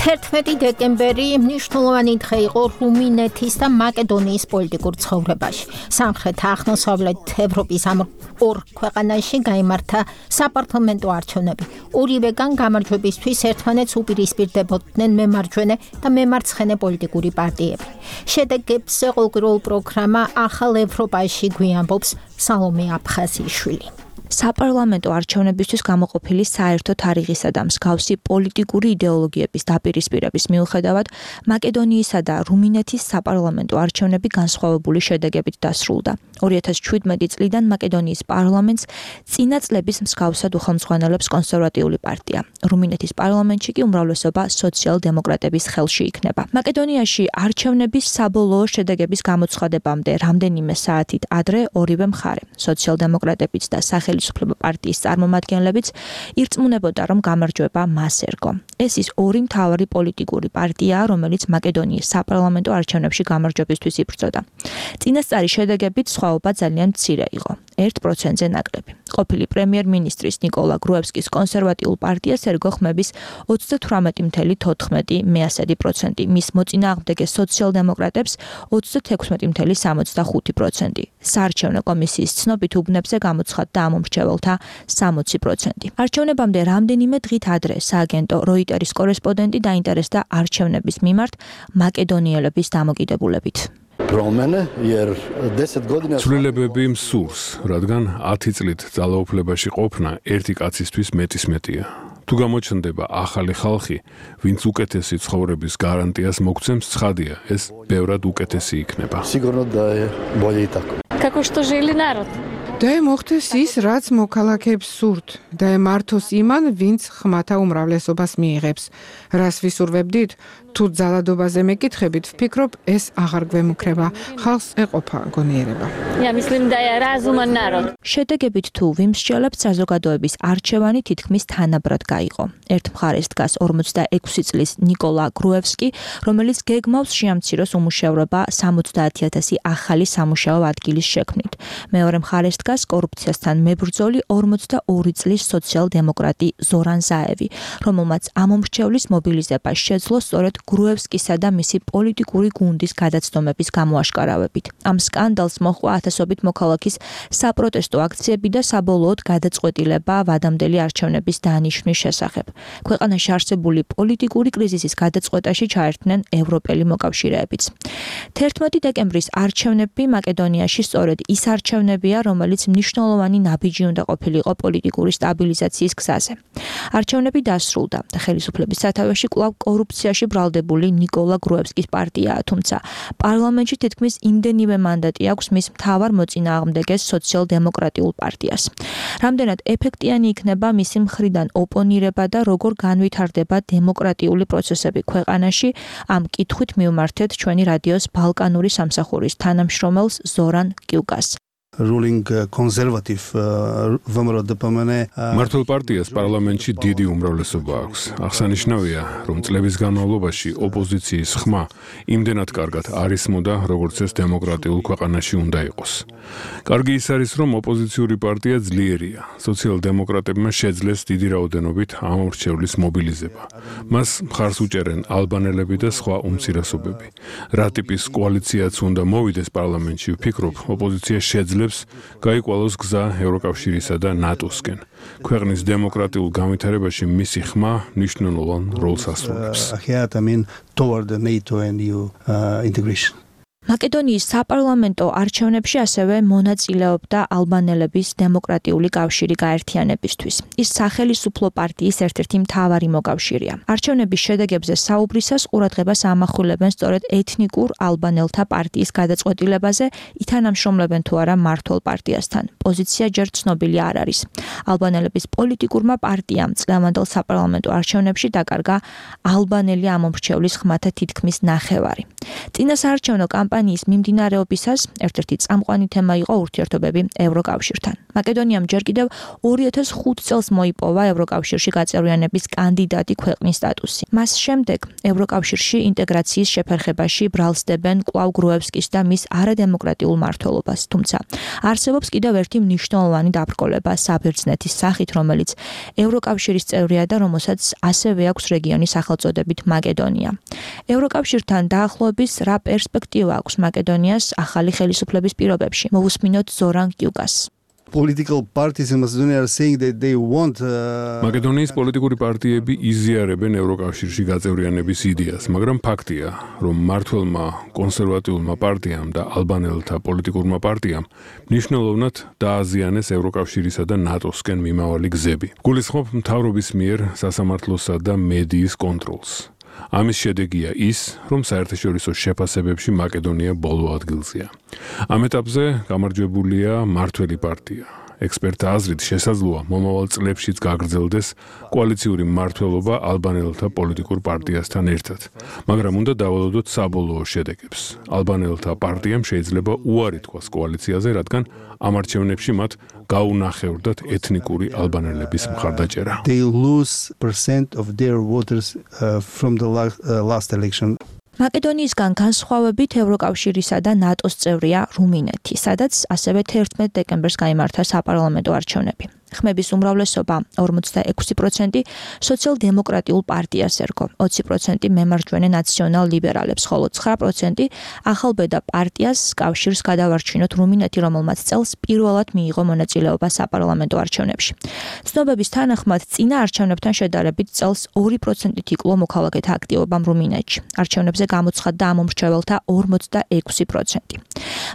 თერთმეტი დეკემბერი მნიშვნელოვანი დღე იყო რუმინეთის და მაკედონიის პოლიტიკურ ცხოვრებაში. სამხრეთ-აღმოსავლეთ ევროპის ამ ორ ქვეყანაში გაიმართა საპარლამენტო არჩევნები. ორივეგან გამარჯვებისთვის ერთმანეთს უპირისპირდებოდნენ მემარჯვენე და მემარცხენე პოლიტიკური პარტიები. შედეგებს ყოველკვირეულ პროგრამა ახალ ევროპაში გვიამბობს სალომე აფხაზიშვილი. საპარლამენტო არჩევნებისთვის გამოყოფილი საერთო თარიღისა და მსგავსი პოლიტიკური იდეოლოგიების დაპირისპირების მიუხედავად, მაკედონიისა და რუმინეთის საპარლამენტო არჩევნები განსხვავებული შედეგებით დასრულდა. ორი ათას შვიდმეტი წლიდან მაკედონიის პარლამენტს წინა წლების მსგავსად უხელმძღვანელობს კონსერვატიული პარტია. რუმინეთის პარლამენტში კი უმრავლესობა სოციალ-დემოკრატების ხელში იქნება. მაკედონიაში არჩევნების საბოლოო შედეგების გამოცხადებამდე რამდენიმე საათით ადრე ორივე მხარე, სოციალ-დემოკრატებიც და სახელმწიფო პარტიის წარმომადგენლებიც ირწმუნებოდა, რომ გამარჯვება მას ერგო. ეს ის ორი მთავარი პოლიტიკური პარტიაა, რომელიც მაკედონიის საპარლამენტო არჩევნებში გამარჯვებისთვის იბრძოდა. წინასწარი შედეგებით სხვაობა ძალიან მცირე იყო, ერთ პროცენტზე ნაკლები. ყოფილი პრემიერ-მინისტრის ნიკოლა გრუევსკის კონსერვატიულ პარტიას ერგო ხმების ოცდათვრამეტი ფاصლე თოთხმეტი პროცენტი, მის მოწინააღმდეგე სოციალ-დემოკრატებს ოცდათექვსმეტი ფاصლე სამოცდახუთი პროცენტი. საარჩევნო კომისიის ცნობით უბნებზე გამოცხადდა ამ მომრჩეველთა სამოცი პროცენტი. არჩევნებამდე რამდენიმე დღით ადრე სააგენტო როიტერის კორესპონდენტი დაინტერესდა არჩევნების მიმართ მაკედონიელების დამოკიდებულებით. ცვლილებები მსურს, რადგან ათი წლით ძალაუფლებაში ყოფნა ერთი კაცისთვის მეტის მეტია. თუ გამოჩნდება ახალი ხალხი, ვინც უკეთესი ცხოვრების გარანტიას მოგცემს, ცხადია, ეს ბევრად უკეთესი იქნება. და მოხდეს ის, რაც მოქალაქეებს სურთ, და მართოს იმან, ვინც ხმათა უმრავლესობას მიიღებს. რას ვისურვებდით? თუ ძალადობაზე მეკითხებით, ვფიქრობ, ეს აღარ გვემუქრება. ხალხს ეყოფა გონიერება. შედეგებით თუ ვიმსჯელებთ, საზოგადოების არჩევანი თითქმის თანაბრად გაიყო. ერთ მხარეს დგას ორმოცდაექვსი წლის ნიკოლა გრუევსკი, რომელიც გეგმავს შეამციროს უმუშევრობა სამოცდაათი ათასი ახალი სამუშაო ადგილის შექმნით. მეორე მხარეს დგას კორუფციასთან მებრძოლი ორმოცდაორი წლის სოციალ-დემოკრატი ზორან ზაევი, რომელმაც ამ მომრჩევლის მობილიზება შეძლო სწორედ გრუევსკისა და მისი პოლიტიკური გუნდის გადაცდომების გამოაშკარავებით. ამ სკანდალს მოჰყვა ათასობით მოქალაქის საპროტესტო აქციები და საბოლოოდ გადაწყვეტილება ვადამდელი არჩევნების დანიშნვის შესახებ. ქვეყანაში არსებული პოლიტიკური კრიზისის გადაწყვეტაში ჩაერთნენ ევროპელი მოკავშირეებიც. თერთმეტი დეკემბრის არჩევნები მაკედონიაში სწორედ ის არჩევნებია, რომელიც მნიშვნელოვანი ნაბიჯი უნდა ყოფილიყო პოლიტიკური სტაბილიზაციის გზაზე. არჩევნები დასრულდა და ხელისუფლების სათავეში კვლავ კორუფციაში ბრალდებული ნიკოლა გრუევსკის პარტიაა, თუმცა პარლამენტში თითქმის იმდენივე მანდატი აქვს მის მთავარ მოწინააღმდეგეს სოციალ-დემოკრატიულ პარტიას. რამდენად ეფექტიანი იქნება მისი მხრიდან ოპონირება და როგორ განვითარდება დემოკრატიული პროცესები ქვეყანაში, ამ კითხვით მივმართეთ ჩვენი რადიოს ბალკანური სამსახურის თანამშრომელს ზორან კიუკას. ruling conservative მართლ პარტიას პარლამენტში დიდი უმრავლესობა აქვს. აღსანიშნავია, რომ წლების განმავლობაში ოპოზიციის ხმა იმდენად კარგად არ ისმოდა, როგორც ეს დემოკრატიულ ქვეყანაში უნდა იყოს. კარგი ის არის, რომ ოპოზიციური პარტია ძლიერია. სოციალ-დემოკრატებმა შეძლეს დიდი რაოდენობით ამ მრჩევლის მობილიზება. მას მხარს უჭერენ ალბანელები და სხვა უმცირესობები. რა ტიპის კოალიციაც უნდა მოვიდეს პარლამენტში, ვფიქრობ, ოპოზიცია შეძლებს აუცილებს გაიკვალოს გზა ევროკავშირისა და ნატოსკენ. ქვეყნის დემოკრატიულ განვითარებაში მისი ხმა მნიშვნელოვან როლს ასრულებს. toward the NATO and E U uh, integration. მაკედონიის საპარლამენტო არჩევნებში ასევე მონაწილეობდა ალბანელების დემოკრატიული კავშირი გაერთიანებისთვის. ის სახელისუფლო პარტიის ერთ-ერთი მთავარი მოკავშირეა. არჩევნების შედეგებზე საუბრისას ყურადღებას ამახვილებენ სწორედ ეთნიკურ ალბანელთა პარტიის გადაწყვეტილებაზე, ითანამშრომლებენ თუ არა მმართველ პარტიასთან. პოზიცია ჯერ ცნობილი არ არის. ალბანელების პოლიტიკურმა პარტიამ წლევანდელ საპარლამენტო არჩევნებში დაკარგა ალბანელი ამომრჩევლის ხმათა თითქმის ნახევარი. წინასაარჩევნო კამპანიის მიმდინარეობისას ერთ-ერთი წამყვანი თემა იყო ურთიერთობები ევროკავშირთან. მაკედონიამ ჯერ კიდევ ორი ათას ხუთი წელს მოიპოვა ევროკავშირში გაწევრიანების კანდიდატი ქვეყნის სტატუსი. მას შემდეგ ევროკავშირში ინტეგრაციის შეფერხებაში ბრალსდებენ კვლავ გროევსკის და მის არადემოკრატიულ მმართველობას. თუმცა არსებობს კიდევ ერთი მნიშვნელოვანი დაბრკოლება საბერძნეთის სახით, რომელიც ევროკავშირის წევრია და რომელსაც ასევე აქვს რეგიონის სახელწოდებით მაკედონია. ევროკავშირთან დაახლოების რა პერსპექტივა აქვს მაკედონიას ახალი ხელისუფლების პირობებში? მოვუსმინოთ ზორან კიუკას. Political parties in Macedonia are saying that they want მაკედონიის პოლიტიკური პარტიები იზიარებენ ევროკავშირში გაწევრიანების იდეას, მაგრამ ფაქტია, რომ მმართველმა კონსერვატიულმა პარტიამ და ალბანელთა პოლიტიკურმა პარტიამ მნიშვნელოვნად დააზიანეს ევროკავშირისა და ნატოსკენ მიმავალი გზები. გულისხმობ მთავრობის მიერ სასამართლოსა და მედიის კონტროლს. ამის შედეგია ის, რომ საერთაშორისო შეფასებებში მაკედონია ბოლო ადგილზეა. ამ ეტაპზე გამარჯვებულია მმართველი პარტია. ექსპერტთა აზრით შესაძლოა მომავალ წლებშიც გაგრძელდეს კოალიციური მმართველობა ალბანელთა პოლიტიკურ პარტიასთან ერთად, მაგრამ უნდა დავალოდოთ საბოლოო შედეგებს. ალბანელთა პარტიამ შეიძლება უარი თქვას კოალიციაზე, რადგან ამ არჩევნებში მათ გაუნახევრდათ ეთნიკური ალბანელების მხარდაჭერა. They lose percent of their voters uh, from the last, uh, last election. მაკედონიისგან განსხვავებით ევროკავშირისა და ნატოს წევრია რუმინეთი, სადაც ასევე თერთმეტ დეკემბერს გაიმართა საპარლამენტო არჩევნები. ხმების უმრავლესობა ორმოცდაექვსი პროცენტი სოციალ-დემოკრატიულ პარტიას ერგო, ოცი პროცენტი მემარჯვენე ნაციონალ-ლიბერალებს, ხოლო ცხრა პროცენტი ახალბედა პარტიას კავშირს გადავარჩინოთ რუმინეთი, რომელმაც წელს პირველად მიიღო მონაწილეობა საპარლამენტო არჩევნებში. ცნობების თანახმად წინა არჩევნებთან შედარებით წელს ორი პროცენტით იკლო მოქალაქეთა აქტივობამ რუმინეთში. არჩევნებზე გამოცხადდა ამომრჩეველთა ორმოცდაექვსი პროცენტი.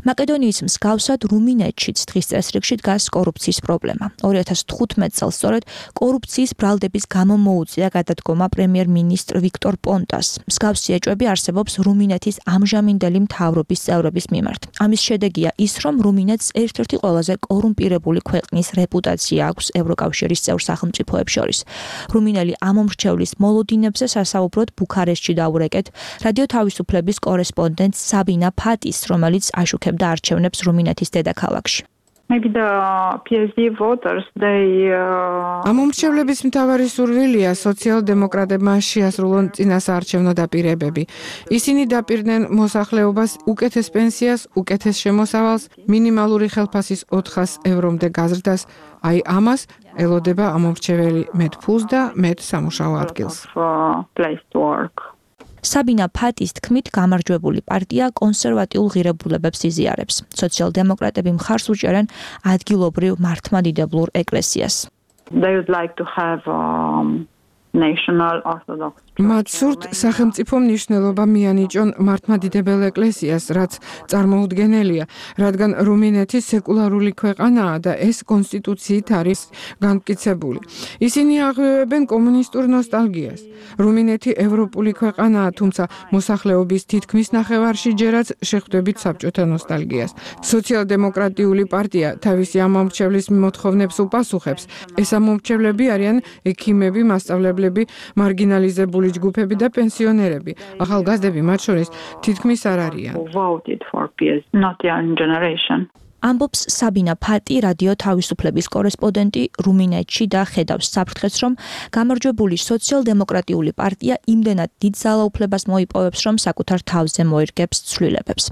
მაკედონიის მსგავსად რუმინეთშიც დღის წესრიგში დგას კორუფციის პრობლემა. ორი ათას თხუთმეტ წელს სწორედ კორუფციის ბრალდების გამო მოუწია გადადგომა პრემიერ-მინისტრ ვიქტორ პონტას. მსგავსი ეჭვები არსებობს რუმინეთის ამჟამინდელი მთავრობის წევრების მიმართ. ამის შედეგია ის, რომ რუმინეთს ერთ-ერთი ყველაზე კორუმპირებული ქვეყნის რეპუტაცია აქვს ევროკავშირის წევრ სახელმწიფოებს შორის. რუმინელი ამომრჩევლის მოლოდინებზე სასაუბროდ ბუქარესტში დაურეკეთ რადიო თავისუფლების კორესპონდენტ საბინა ფატის, რომელიც აშუქებდა არჩევნებს რუმინეთის დედაქალაქში. Maybe the P S D voters they ამომრჩევლების მთავარი სურვილია სოციალ-დემოკრატებმა შეასრულონ წინასაარჩევნო დაპირებები. ისინი დაპირდნენ მოსახლეობას უკეთეს პენსიას, უკეთეს შემოსავალს, მინიმალური ხელფასის ოთხას ევრომდე გაზრდას. აი ამას ელოდება ამომრჩეველი მეტ ფულს და მეტ სამუშაო ადგილს. საბინა ფატის თქმით, გამარჯვებული პარტია კონსერვატიულ ღირებულებებს იზიარებს. სოციალ-დემოკრატები მხარს უჭერენ ადგილობრივ მართლმადიდებლურ ეკლესიას. They would like to have um, national orthodox მათ სურთ სახელმწიფო მნიშვნელობა მიანიჭონ მართლმადიდებელ ეკლესიას, რაც წარმოუდგენელია, რადგან რუმინეთი სეკულარული ქვეყანაა და ეს კონსტიტუციით არის განმტკიცებული. ისინი აღვევებენ კომუნისტურ ნოსტალგიას. რუმინეთი ევროპული ქვეყანაა, თუმცა მოსახლეობის თითქმის ნახევარში ჯერაც შეხვდებით საბჭოთა ნოსტალგიას. სოციალ-დემოკრატიული პარტია თავისი ამომრჩევლის მოთხოვნებს უპასუხებს. ეს ამომრჩევლები არიან ექიმები, მასწავლებლები, მარგინალიზებული ჯგუფები და პენსიონერები. ახალგაზრდები მათ შორის თითქმის არ არიან. ამბობს საბინა ფატი, რადიო თავისუფლების კორესპონდენტი რუმინეთში და ხედავს საფრთხეს, რომ გამარჯვებული სოციალ-დემოკრატიული პარტია იმდენად დიდ ძალაუფლებას მოიპოვებს, რომ საკუთარ თავზე მოერგებს ცვლილებებს.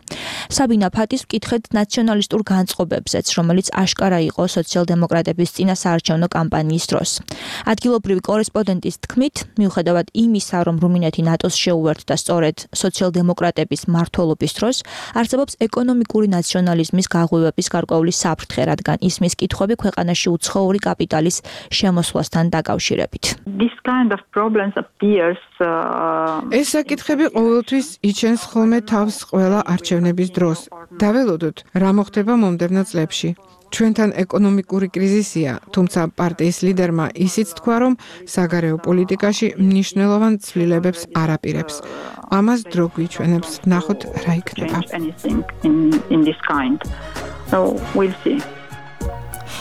საბინა ფატის მკითხეთ ნაციონალისტურ განწყობებზეც, რომელიც აშკარა იყო სოციალ-დემოკრატების წინასაარჩევნო კამპანიის დროს. ადგილობრივი კორესპონდენტის თქმით, მიუხედავად იმისა, რომ რუმინეთი ნატოს შეუერთდა სწორედ სოციალ-დემოკრატების მმართველობის დროს, არსებობს ეკონომიკური ნაციონალიზმის გაღვივება ევროპის გარკვეული საფრთხე, რადგან ისმის კითხვები ქვეყანაში უცხოური კაპიტალის შემოსვლასთან დაკავშირებით. This kind of problems appears uh, ეს საკითხები ყოველთვის იჩენს ხოლმე თავს ყველა არჩევნების დროს. დაველოდოთ, რა მოხდება მომდევნო წლებში. ჩვენთან ეკონომიკური კრიზისია, თუმცა პარტიის ლიდერმა ისიც თქვა, რომ საგარეო პოლიტიკაში მნიშვნელოვან ცვლილებებს არ აპირებს. ამას დრო გვიჩვენებს, ვნახოთ რა იქნება. in, in this kind. So we'll see.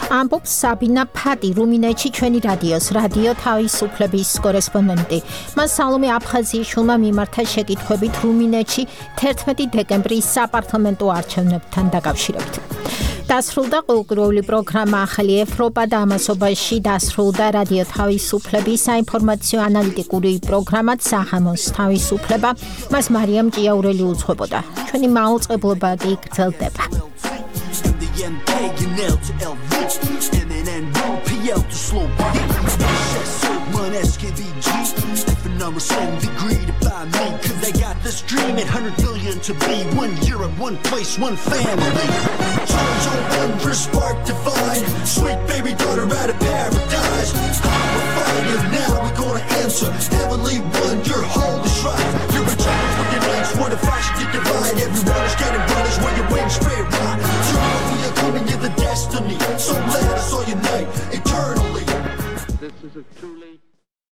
ამბობს საბინა ფადი, რუმინეთში ჩვენი რადიოს, რადიო თავისუფლების კორესპონდენტი. მას სალომე აფხაზიაშვილმა მიმართა შეკითხვებით რუმინეთში თერთმეტი დეკემბრის საპარლამენტო არჩევნებთან დაკავშირებით. დასრულდა ყოველკვირეული პროგრამა ახალი ევროპა და ამასობაში დასრულდა რადიო თავისუფლების საინფორმაციო ანალიტიკური პროგრამაც საღამოს თავისუფლება. მას მარიამ ჭიაურელი უძღვებოდა. ჩვენი მაუწყებლობა კი გრძელდება. M K and L to L V M N N P L to slow one S K B G different numbers same degree to buy me cause they got this dream at one hundred billion to be one year at one place one family charge your wonder spark divine sweet baby daughter out of paradise we're finding now we're gonna answer heavenly one your holy